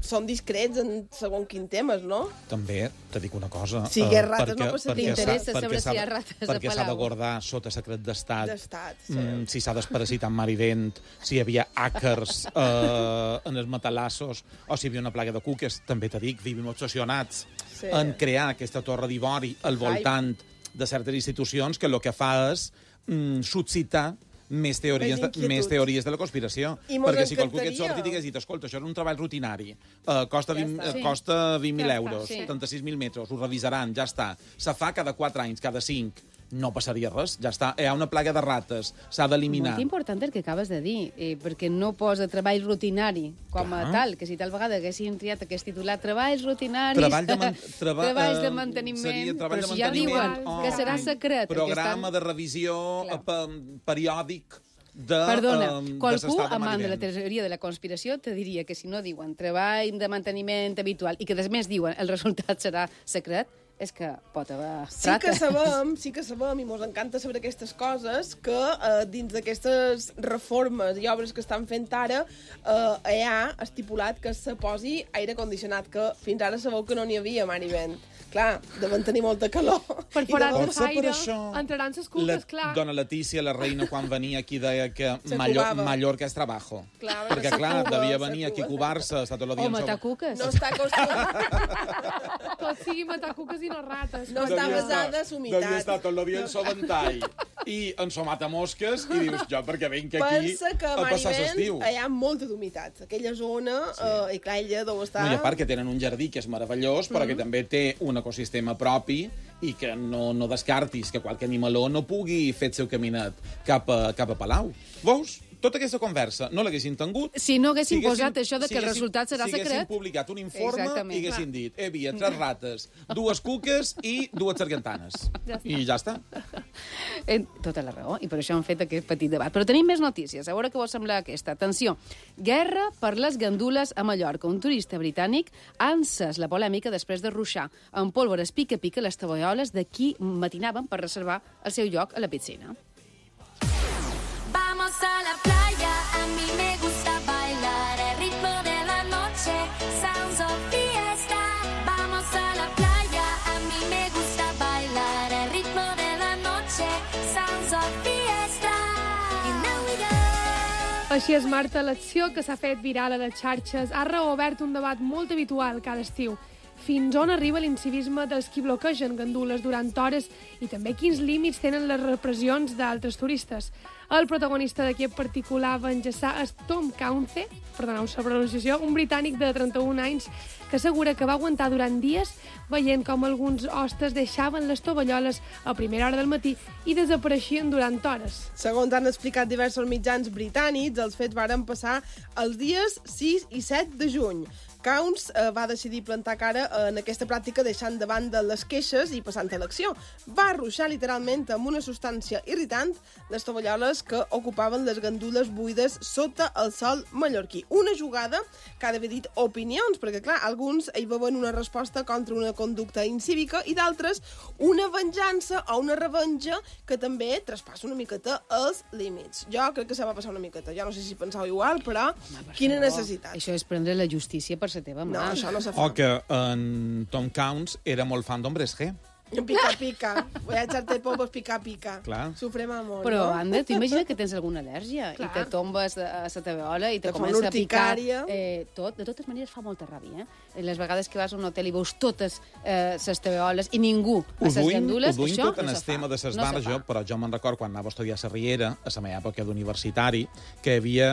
Speaker 4: són discrets en segons quin temes, no?
Speaker 5: També, te dic una cosa.
Speaker 4: Si hi ha rates no passaria.
Speaker 3: T'interessa saber si hi ha rates a Palau.
Speaker 5: Perquè s'ha de guardar sota secret d'estat.
Speaker 4: Sí.
Speaker 5: Si s'ha desparasitat mar i vent, si hi havia àcars en els matalassos, o si hi havia una plaga de cuques. També te dic, vivim obsessionats en crear aquesta torre d'ivori al voltant de certes institucions que el que fa és suscitar més teories de la conspiració. Perquè si qualcú que et sorti i t'hagués dit, escolta, això és un treball rutinari, costa 20.000 euros, 76.000 metres, ho revisaran, ja està. Se fa cada 4 anys, cada 5. No passaria res, ja està. Hi ha una plaga de rates, s'ha d'eliminar.
Speaker 3: Molt important el que acabes de dir, perquè no posa treball rutinari com a tal, que si tal vegada haguessin triat aquest titular, treballs rutinaris, treballs de manteniment, però si ja diuen que serà secret...
Speaker 5: Programa de revisió periòdic de...
Speaker 3: Perdona, qualcú amant de la teoria de la conspiració te diria que si no diuen treball de manteniment habitual i que després diuen el resultat serà secret, és que pot haver trates.
Speaker 4: Sí que sabem, i mos encanta saber aquestes coses, que dins d'aquestes reformes i obres que estan fent ara hi ha estipulat que se posi aire condicionat, que fins ara sabeu que no n'hi havia mar i vent. Clar, deuen tenir molta calor.
Speaker 12: Per forats de faire, entraran ses cuques, clar.
Speaker 5: Dona Letícia, la reina, quan venia aquí, deia que Mallorca és trabajo. Perquè, clar, devia venir aquí a cubar-se, estar tot el dia...
Speaker 3: O matar cuques.
Speaker 4: No està acostumat.
Speaker 12: Tot sigui matar cuques i no rates.
Speaker 4: No està basada en humitat.
Speaker 5: Devia estar tot el dia en so ventall i en so matamosques, i dius, jo perquè vinc aquí a passar l'estiu.
Speaker 4: Hi ha molta d'humitat. Aquella zona, i clar, ella deu estar...
Speaker 5: No, i a part que tenen un jardí que és meravellós, però que també té un ecosistema propi i que no descartis que qualque animaló no pugui fer el seu caminat cap a Palau. Veus? Tota aquesta conversa no l'haguessin tingut...
Speaker 3: Si no haguessin posat això de que el resultat serà secret...
Speaker 5: Si haguessin publicat un informe i haguessin dit hi havia 3 rates, 2 cuques i 2 sargantanes. I ja està.
Speaker 3: Tota la raó, i per això han fet aquest petit debat. Però tenim més notícies. A veure què vos sembla aquesta. Atenció, guerra per les gandules a Mallorca. Un turista britànic ha encès la polèmica després de ruixar amb pólvores pica-pica les tovalloles de qui matinaven per reservar el seu lloc a la piscina.
Speaker 13: Vamos a la playa, a mí me gusta bailar el ritmo de la noche, sounds of fiesta. Vamos a la playa, a mí me gusta bailar el ritmo de la noche, sounds of fiesta. And now we go.
Speaker 12: Així és, Marta, l'acció que s'ha fet viral a les xarxes ha reobert un debat molt habitual cada estiu. Fins on arriba l'incivisme dels qui bloquegen gandules durant hores i també quins límits tenen les repressions d'altres turistes. El protagonista d'aquest particular va enllaçar és Tom Caunce, perdoneu la pronunciació, un britànic de 31 anys que assegura que va aguantar durant dies veient com alguns hostes deixaven les tovalloles a primera hora del matí i desapareixien durant hores.
Speaker 4: Segons han explicat diversos mitjans britànics, els fets varen passar els dies 6 i 7 de juny. Counts va decidir plantar cara en aquesta pràctica deixant de banda les queixes i passant a l'acció. Va ruixar literalment amb una substància irritant les tovalloles que ocupaven les gandules buides sota el sol mallorquí. Una jugada que ha d'haver dit opinions, perquè clar, alguns hi veuen una resposta contra una conducta incívica i d'altres una venjança o una revenja que també traspassa una miqueta els límits. Jo crec que se va passar una miqueta. Jo no sé si penseu igual, però quina necessitat.
Speaker 3: Això és prendre la justícia per la teva mà.
Speaker 4: No, això no se fa.
Speaker 5: O que en Tom Counts era molt fan d'Hombres G.
Speaker 4: Pica-pica. Voy a echarte polvos pica-pica.
Speaker 5: Clar.
Speaker 4: Sufrem amor,
Speaker 3: però,
Speaker 4: no?
Speaker 3: Anna, tu imagina que tens alguna al·lèrgia i te tombes a la teveola i te comença a picar. De totes maneres fa molta ràbia, Les vegades que vas a un hotel i veus totes les teveoles i ningú a les gandules,
Speaker 5: això
Speaker 3: no
Speaker 5: tot en el tema de les bars, però jo me'n record quan anava a estudiar a la Riera, a la meva època d'universitari, que hi havia...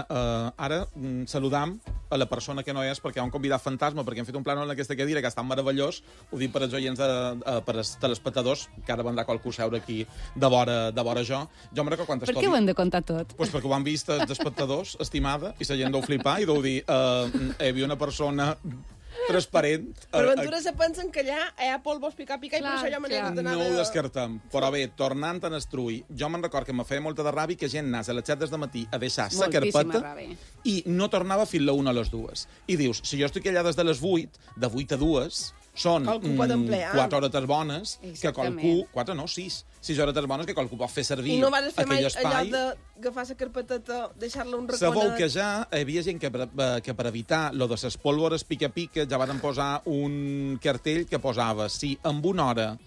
Speaker 5: Ara saludam a la persona que no és, perquè hi ha un convidat fantasma, perquè hem fet un plànol en aquesta cadira que ha estat meravellós, ho dic per als oients, per als telespectadors, que ara vendrà qualcú seure aquí de vora jo. Jo me'n record quantes
Speaker 3: Per què ho hem de contar tot?
Speaker 5: Pues perquè ho han vist els espectadors, estimada, i la gent deu flipar i deu dir hi havia una persona transparent.
Speaker 4: Per ventura se pensen que allà hi ha polvos pica i per això hi ha manera d'anar...
Speaker 5: No ho descartem. Però bé, tornant a Estrull, jo me'n record que me feia molta de ràbia que gent anés a les 7 del matí a deixar sa carpeta i no tornava fins a 1 a les 2. I dius, si jo estic allà des de les 8, de 8 a 2, són 4 hores bones que qualcú... 4 no, 6 hores bones que qualcú pot fer servir aquell espai.
Speaker 4: I no vas fer mai allò d'agafar la carpeteta, deixar-la un raconet...
Speaker 5: Sabeu que ja hi havia gent que per evitar lo de les pólvores pica-pica ja van posar un cartell que posava si en una hora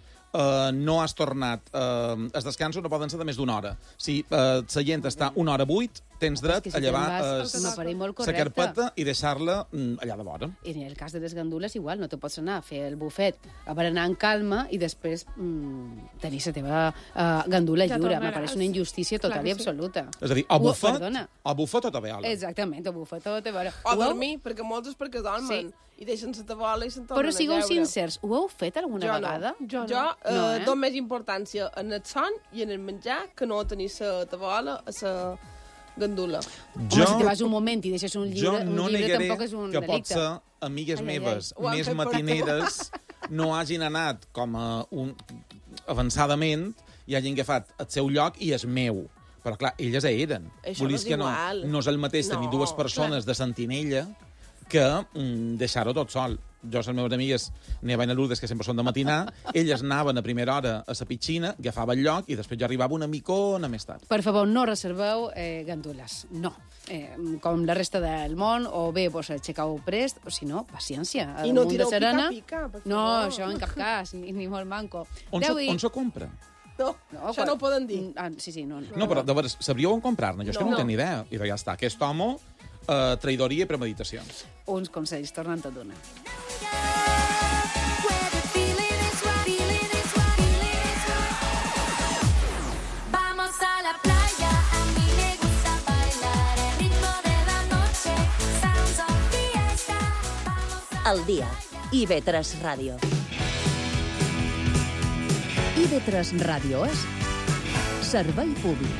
Speaker 5: no has tornat... Els descansos no poden ser de més d'una hora. Si la gent està 1 hora 8, tens dret a llevar la carpeta i deixar-la allà de vora.
Speaker 3: I en el cas de les gandules, igual, no te pots anar a fer el bufet a berenar en calma i després tenir la teva gandula lliure. M'apareix una injustícia total i absoluta.
Speaker 5: És a dir, a bufet o a veola.
Speaker 3: Exactament, a bufet o a veola.
Speaker 4: O dormir, perquè molts és perquè dormen. I deixen la tabola i se'n tornen a
Speaker 3: Però sigueu sincers, ho heu fet alguna vegada?
Speaker 4: Jo dono més importància en el son i en el menjar que no tenir la tabola a la gandula.
Speaker 3: Home, si te vas un moment i deixes un llibre, tampoc és un delicte.
Speaker 5: Jo no negaré que potser amigues meves més matineres no hagin anat com avançadament i hagin agafat el seu lloc i és meu. Però clar, elles eren.
Speaker 4: Això no és igual.
Speaker 5: No és el mateix tenir dues persones de sentinella que deixar-ho tot sol. Jo, les meves amigues, Neva i Lourdes, que sempre són de matinar, elles anaven a primera hora a la piscina, agafaven el lloc i després jo arribava una micona més tard.
Speaker 3: Per favor, no reserveu gandules. No. Com la resta del món, o bé vos aixecau prest, o si no, paciència.
Speaker 4: I no tireu pica-pica, per favor.
Speaker 3: No, això en cap cas, ni molt manco.
Speaker 5: On se compra?
Speaker 4: No, això no ho poden dir.
Speaker 3: Sí, no.
Speaker 5: No, però de veres, sabríeu on comprar-ne? Jo és que no en tinc ni idea. I ja està, aquest home... traïdoria i premeditacions.
Speaker 3: Uns consells, tornant a donar.
Speaker 13: Vamos a la playa, a mí me gusta bailar el ritmo de la noche, sounds of fiesta.
Speaker 2: El dia. IB3 Ràdio.
Speaker 1: IB3 Ràdio és servei públic.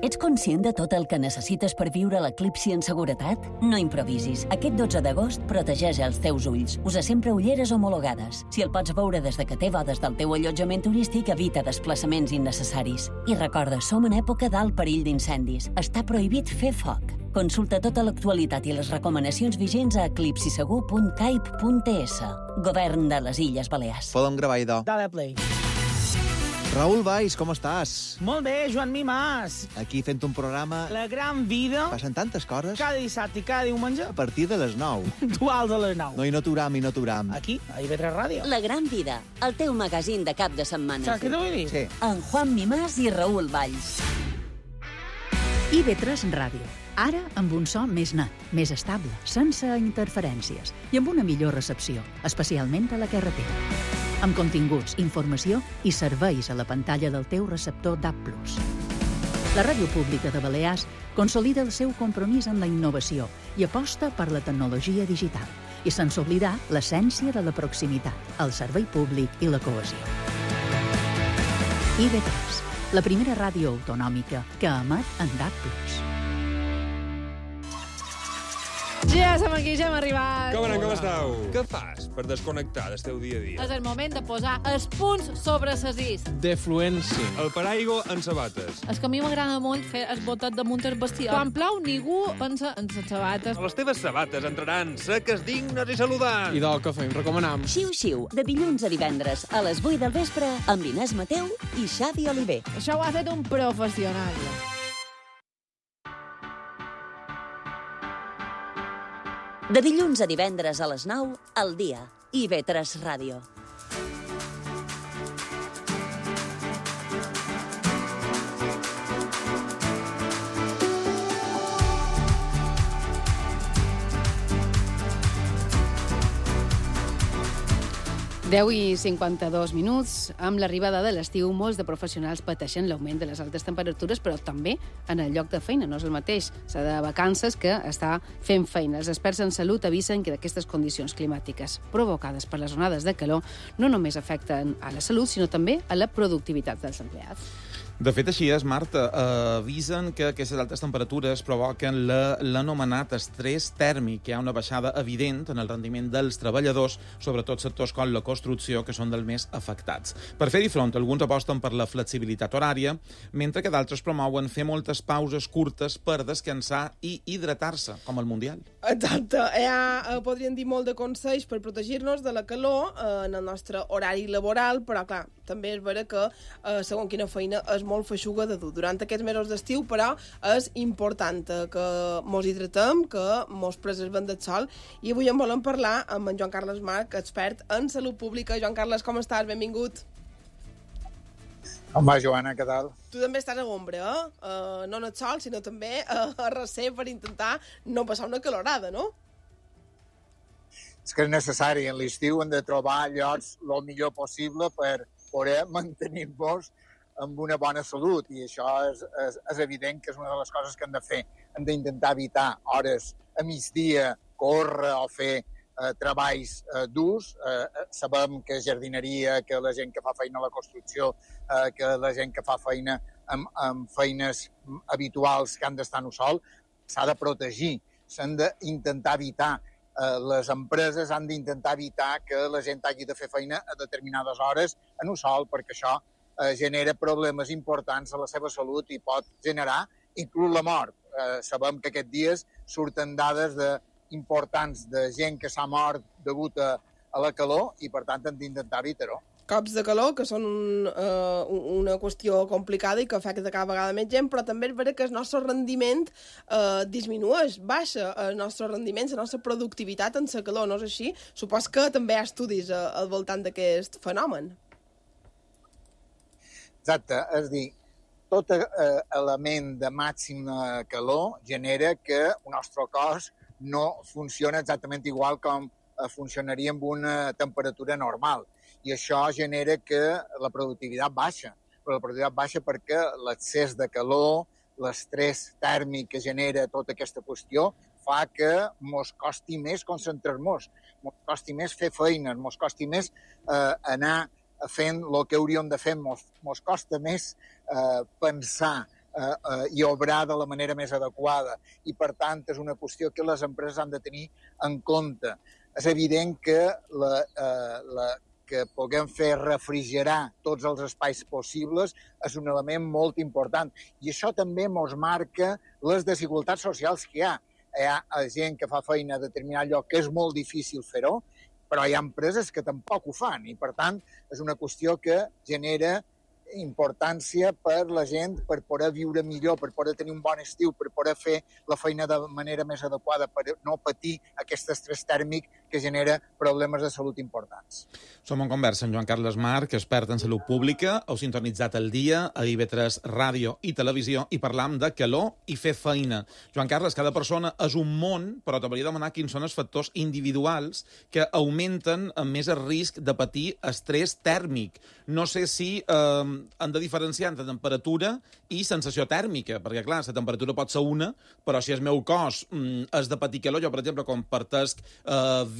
Speaker 2: Ets conscient de tot el que necessites per viure l'eclipsi en seguretat? No improvisis. Aquest 12 d'agost protegeix els teus ulls. Usa sempre ulleres homologades. Si el pots veure des de que té bodes del teu allotjament turístic, evita desplaçaments innecessaris. I recorda, som en època d'alt perill d'incendis. Està prohibit fer foc. Consulta tota l'actualitat i les recomanacions vigents a eclipsisegur.caip.es. Govern de les Illes Balears.
Speaker 14: Podem gravar, idò.
Speaker 15: Dale play.
Speaker 14: Raül Valls, com estàs?
Speaker 15: Molt bé, Joan Mimàs.
Speaker 14: Aquí fent un programa...
Speaker 15: La gran vida.
Speaker 14: Passen tantes coses.
Speaker 15: Cada dissabte i cada diumenge.
Speaker 14: A partir de les 9.
Speaker 15: Puntuals a les 9.
Speaker 14: No, i no t'uram.
Speaker 15: Aquí, a IB3 Ràdio.
Speaker 2: La gran vida, el teu magazín de cap de setmana.
Speaker 15: Saps què t'ho vull dir?
Speaker 14: Sí.
Speaker 2: En Juan Mimàs i Raül Valls.
Speaker 1: IB3 Ràdio. Ara amb un so més net, més estable, sense interferències i amb una millor recepció, especialment a la carretera. Amb continguts, informació i serveis a la pantalla del teu receptor DAB+. La Ràdio Pública de Balears consolida el seu compromís amb la innovació i aposta per la tecnologia digital, i sense oblidar l'essència de la proximitat, el servei públic i la cohesió. IB3, la primera ràdio autonòmica que emet en DAB+.
Speaker 3: Ja som aquí, ja hem arribat.
Speaker 16: Com esteu? Què fas per desconnectar del teu dia a dia?
Speaker 10: És el moment de posar els punts sobre les is.
Speaker 16: Defluència. El paraigua en sabates.
Speaker 10: És que a mi m'agrada molt fer el botet damunt el vestiat. Quan plou, ningú pensa en les sabates.
Speaker 16: Les teves sabates entraran seques, dignes i saludants.
Speaker 17: I del que fem, recomanam.
Speaker 2: Xiu-xiu, de dilluns a divendres, a les 8 del vespre, amb Inés Mateu i Xavi Oliver.
Speaker 10: Això ho ha fet un professional.
Speaker 2: De dilluns a divendres a les 9, al dia. IB3 Ràdio.
Speaker 3: Deu i 52 minuts. Amb l'arribada de l'estiu, molts de professionals pateixen l'augment de les altes temperatures, però també en el lloc de feina. No és el mateix s'ha de vacances que està fent feina. Els experts en salut avisen que aquestes condicions climàtiques provocades per les onades de calor no només afecten a la salut, sinó també a la productivitat dels empleats.
Speaker 5: De fet, així és, Marta. Avisen que aquestes altes temperatures provoquen l'anomenat estrès tèrmic. Hi ha una baixada evident en el rendiment dels treballadors, sobretot sectors com la construcció, que són dels més afectats. Per fer-hi front, alguns aposten per la flexibilitat horària, mentre que d'altres promouen fer moltes pauses curtes per descansar i hidratar-se, com el Mundial.
Speaker 4: Exacte. Podríem dir molt de consells per protegir-nos de la calor en el nostre horari laboral, però, clar, també és vera que, segons quina feina, és molt feixuga de dur. Durant aquests mesos d'estiu, però, és important que mos hidratem, que mos preservem del sol, i avui en volem parlar amb en Joan Carles March, expert en salut pública. Joan Carles, com estàs? Benvingut.
Speaker 17: Com va, Joana? Què tal?
Speaker 4: Tu també estàs a l'ombra, no en el sol, sinó també a recer per intentar no passar una calorada, no?
Speaker 17: És que és necessari. En l'estiu hem de trobar llocs el millor possible per poder mantenir-nos amb una bona salut, i això és evident que és una de les coses que hem de fer. Hem d'intentar evitar hores a migdia, córrer o fer treballs durs. Sabem que jardineria, que la gent que fa feina a la construcció, que la gent que fa feina amb feines habituals que han d'estar en el sol, s'ha de protegir. S'han d'intentar evitar. Les empreses han d'intentar evitar que la gent hagi de fer feina a determinades hores en el sol, perquè això genera problemes importants a la seva salut i pot generar inclús la mort. Sabem que aquests dies surten dades importants de gent que s'ha mort degut a la calor i, per tant, hem d'intentar evitar-ho.
Speaker 4: Cops de calor, que són una qüestió complicada i que afecta cada vegada més gent, però també és vera que el nostre rendiment disminueix, baixa el nostre rendiment, la nostra productivitat en la calor, no és així? Supos que també hi ha estudis al voltant d'aquest fenomen.
Speaker 17: Exacte, és a dir, tot element de màxima calor genera que el nostre cos no funciona exactament igual com funcionaria amb una temperatura normal. I això genera que la productivitat baixa. Però la productivitat baixa perquè l'excés de calor, l'estrès tèrmic que genera tota aquesta qüestió, fa que mos costi més concentrar-nos, mos costi més fer feines, mos costi més anar fent el que hauríem de fer, mos costa més pensar i obrar de la manera més adequada. I, per tant, és una qüestió que les empreses han de tenir en compte. És evident que que puguem fer refrigerar tots els espais possibles és un element molt important. I això també ens marca les desigualtats socials que hi ha. Hi ha gent que fa feina a determinat lloc que és molt difícil fer-ho, però hi ha empreses que tampoc ho fan i, per tant, és una qüestió que genera importància per la gent, per poder viure millor, per poder tenir un bon estiu, per poder fer la feina de manera més adequada, per no patir aquest estrès tèrmic que genera problemes de salut importants.
Speaker 5: Som en conversa amb Joan Carles March, expert en salut pública. Heu sintonitzat el dia a IB3 Ràdio i Televisió i parlam de calor i fer feina. Joan Carles, cada persona és un món, però t'hauria de demanar quins són els factors individuals que augmenten més el risc de patir estrès tèrmic. No sé si han de diferenciar entre temperatura i sensació tèrmica, perquè, clar, la temperatura pot ser una, però si el meu cos és de patir calor, jo, per exemple, compartesc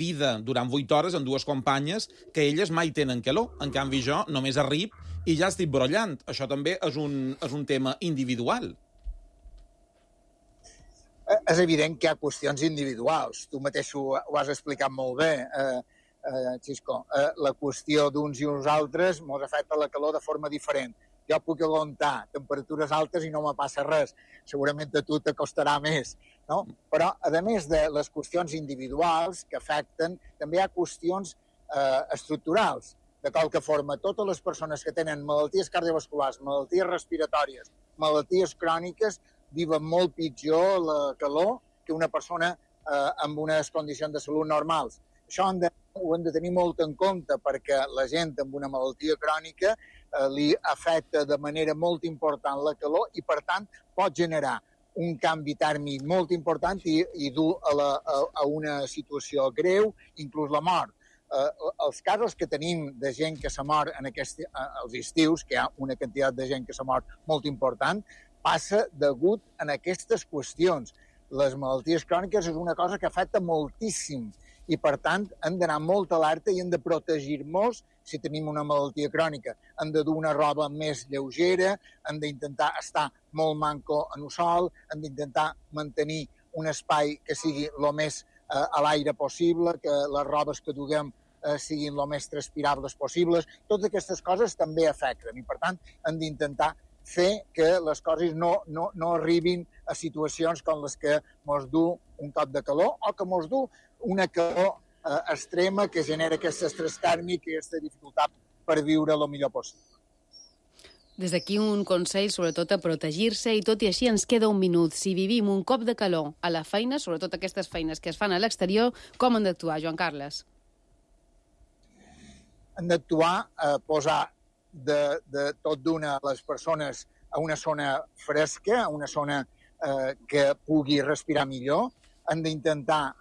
Speaker 5: vida durant 8 hores amb dues companyes que elles mai tenen calor. En canvi, jo només arribo i ja estic brollant. Això també és un tema individual.
Speaker 17: És evident que hi ha qüestions individuals. Tu mateix ho has explicat molt bé, Xisco. La qüestió d'uns i uns altres ens afecta la calor de forma diferent. Jo puc aguantar temperatures altes i no me passa res. Segurament a tu t'acostarà més, no? Però, a més de les qüestions individuals que afecten, també hi ha qüestions estructurals. De qualque forma, totes les persones que tenen malalties cardiovasculars, malalties respiratòries, malalties cròniques, viuen molt pitjor la calor que una persona amb unes condicions de salut normals. Això ho hem de tenir molt en compte perquè la gent amb una malaltia crònica li afecta de manera molt important la calor i, per tant, pot generar un canvi tèrmic molt important i dur a una situació greu, inclús la mort. Els casos que tenim de gent que s'ha mort als estius, que hi ha una quantitat de gent que s'ha mort molt important, passa degut a aquestes qüestions. Les malalties cròniques és una cosa que afecta moltíssim i, per tant, hem d'anar molt alerta i hem de protegir-nos si tenim una malaltia crònica, hem de dur una roba més lleugera, hem d'intentar estar molt manco en el sol, hem d'intentar mantenir un espai que sigui el més a l'aire possible, que les robes que duguem siguin el més transpirables possibles. Totes aquestes coses també afecten i, per tant, hem d'intentar fer que les coses no arribin a situacions com les que mos du un cop de calor o que mos du una calor extrema que genera aquest estrès tèrmic i aquesta dificultat per viure el millor possible.
Speaker 3: Des d'aquí un consell, sobretot, a protegir-se, i tot i així ens queda un minut. Si vivim un cop de calor a la feina, sobretot aquestes feines que es fan a l'exterior, com han d'actuar, Joan Carles?
Speaker 17: Hem d'actuar a posar de tot d'una les persones a una zona fresca, a una zona que pugui respirar millor. Hem d'intentar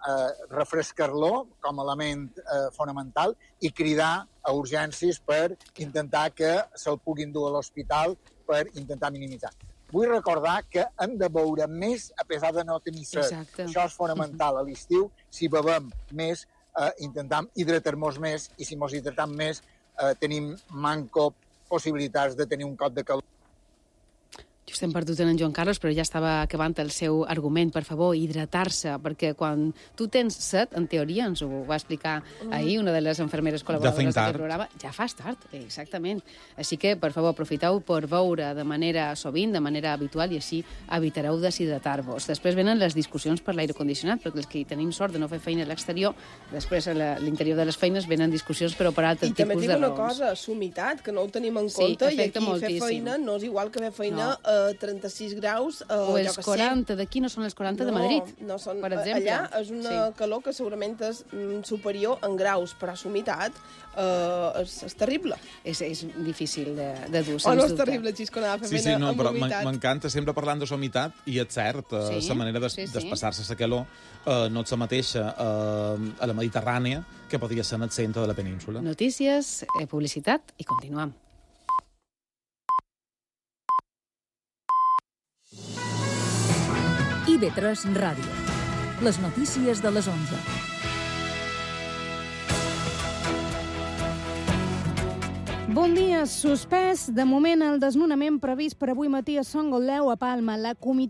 Speaker 17: refrescar-lo com a element fonamental i cridar a urgències per intentar que se'l puguin dur a l'hospital per intentar minimitzar. Vull recordar que hem de beure més a pesar de no tenir set.
Speaker 3: Exacte.
Speaker 17: Això és fonamental a l'estiu. Si bevem més, intentem hidratar-nos més i si ens hidratem més tenim manco possibilitats de tenir un cop de calor.
Speaker 3: Just hem perdut en Joan Carles, però ja estava acabant el seu argument. Per favor, hidratar-se, perquè quan tu tens set, en teoria, ens ho va explicar ahir una de les infermeres col·laboradores d'aquest programa, ja fas tard, exactament. Així que, per favor, aprofiteu per beure de manera sovint, de manera habitual, i així evitareu deshidratar-vos. Després venen les discussions per l'aire condicionat, perquè els que tenim sort de no fer feina a l'exterior, després a l'interior de les feines venen discussions, però per altres tipus de raons.
Speaker 4: I també dic una cosa, sumitat, que no ho tenim en compte, i aquí fer feina no és igual que fer feina a 36 graus,
Speaker 3: o els 40 d'aquí no són els 40 de Madrid,
Speaker 4: no són,
Speaker 3: per exemple.
Speaker 4: Allà és una calor que segurament és superior en graus, però sumitat és terrible.
Speaker 3: És difícil de dur,
Speaker 4: o no és terrible, Xisconada, fer feina amb humitat.
Speaker 5: M'encanta sempre parlant de humitat, i és cert, la manera d'espassar-se la calor no és la mateixa a la Mediterrània que podria ser en el centre de la península.
Speaker 3: Notícies, publicitat i continuem.
Speaker 18: IB3 Ràdio. Les notícies de les 11.
Speaker 19: Bon dia. Suspès de moment el desnonament previst per avui matí a Son Gotleu, a Palma. La comitiva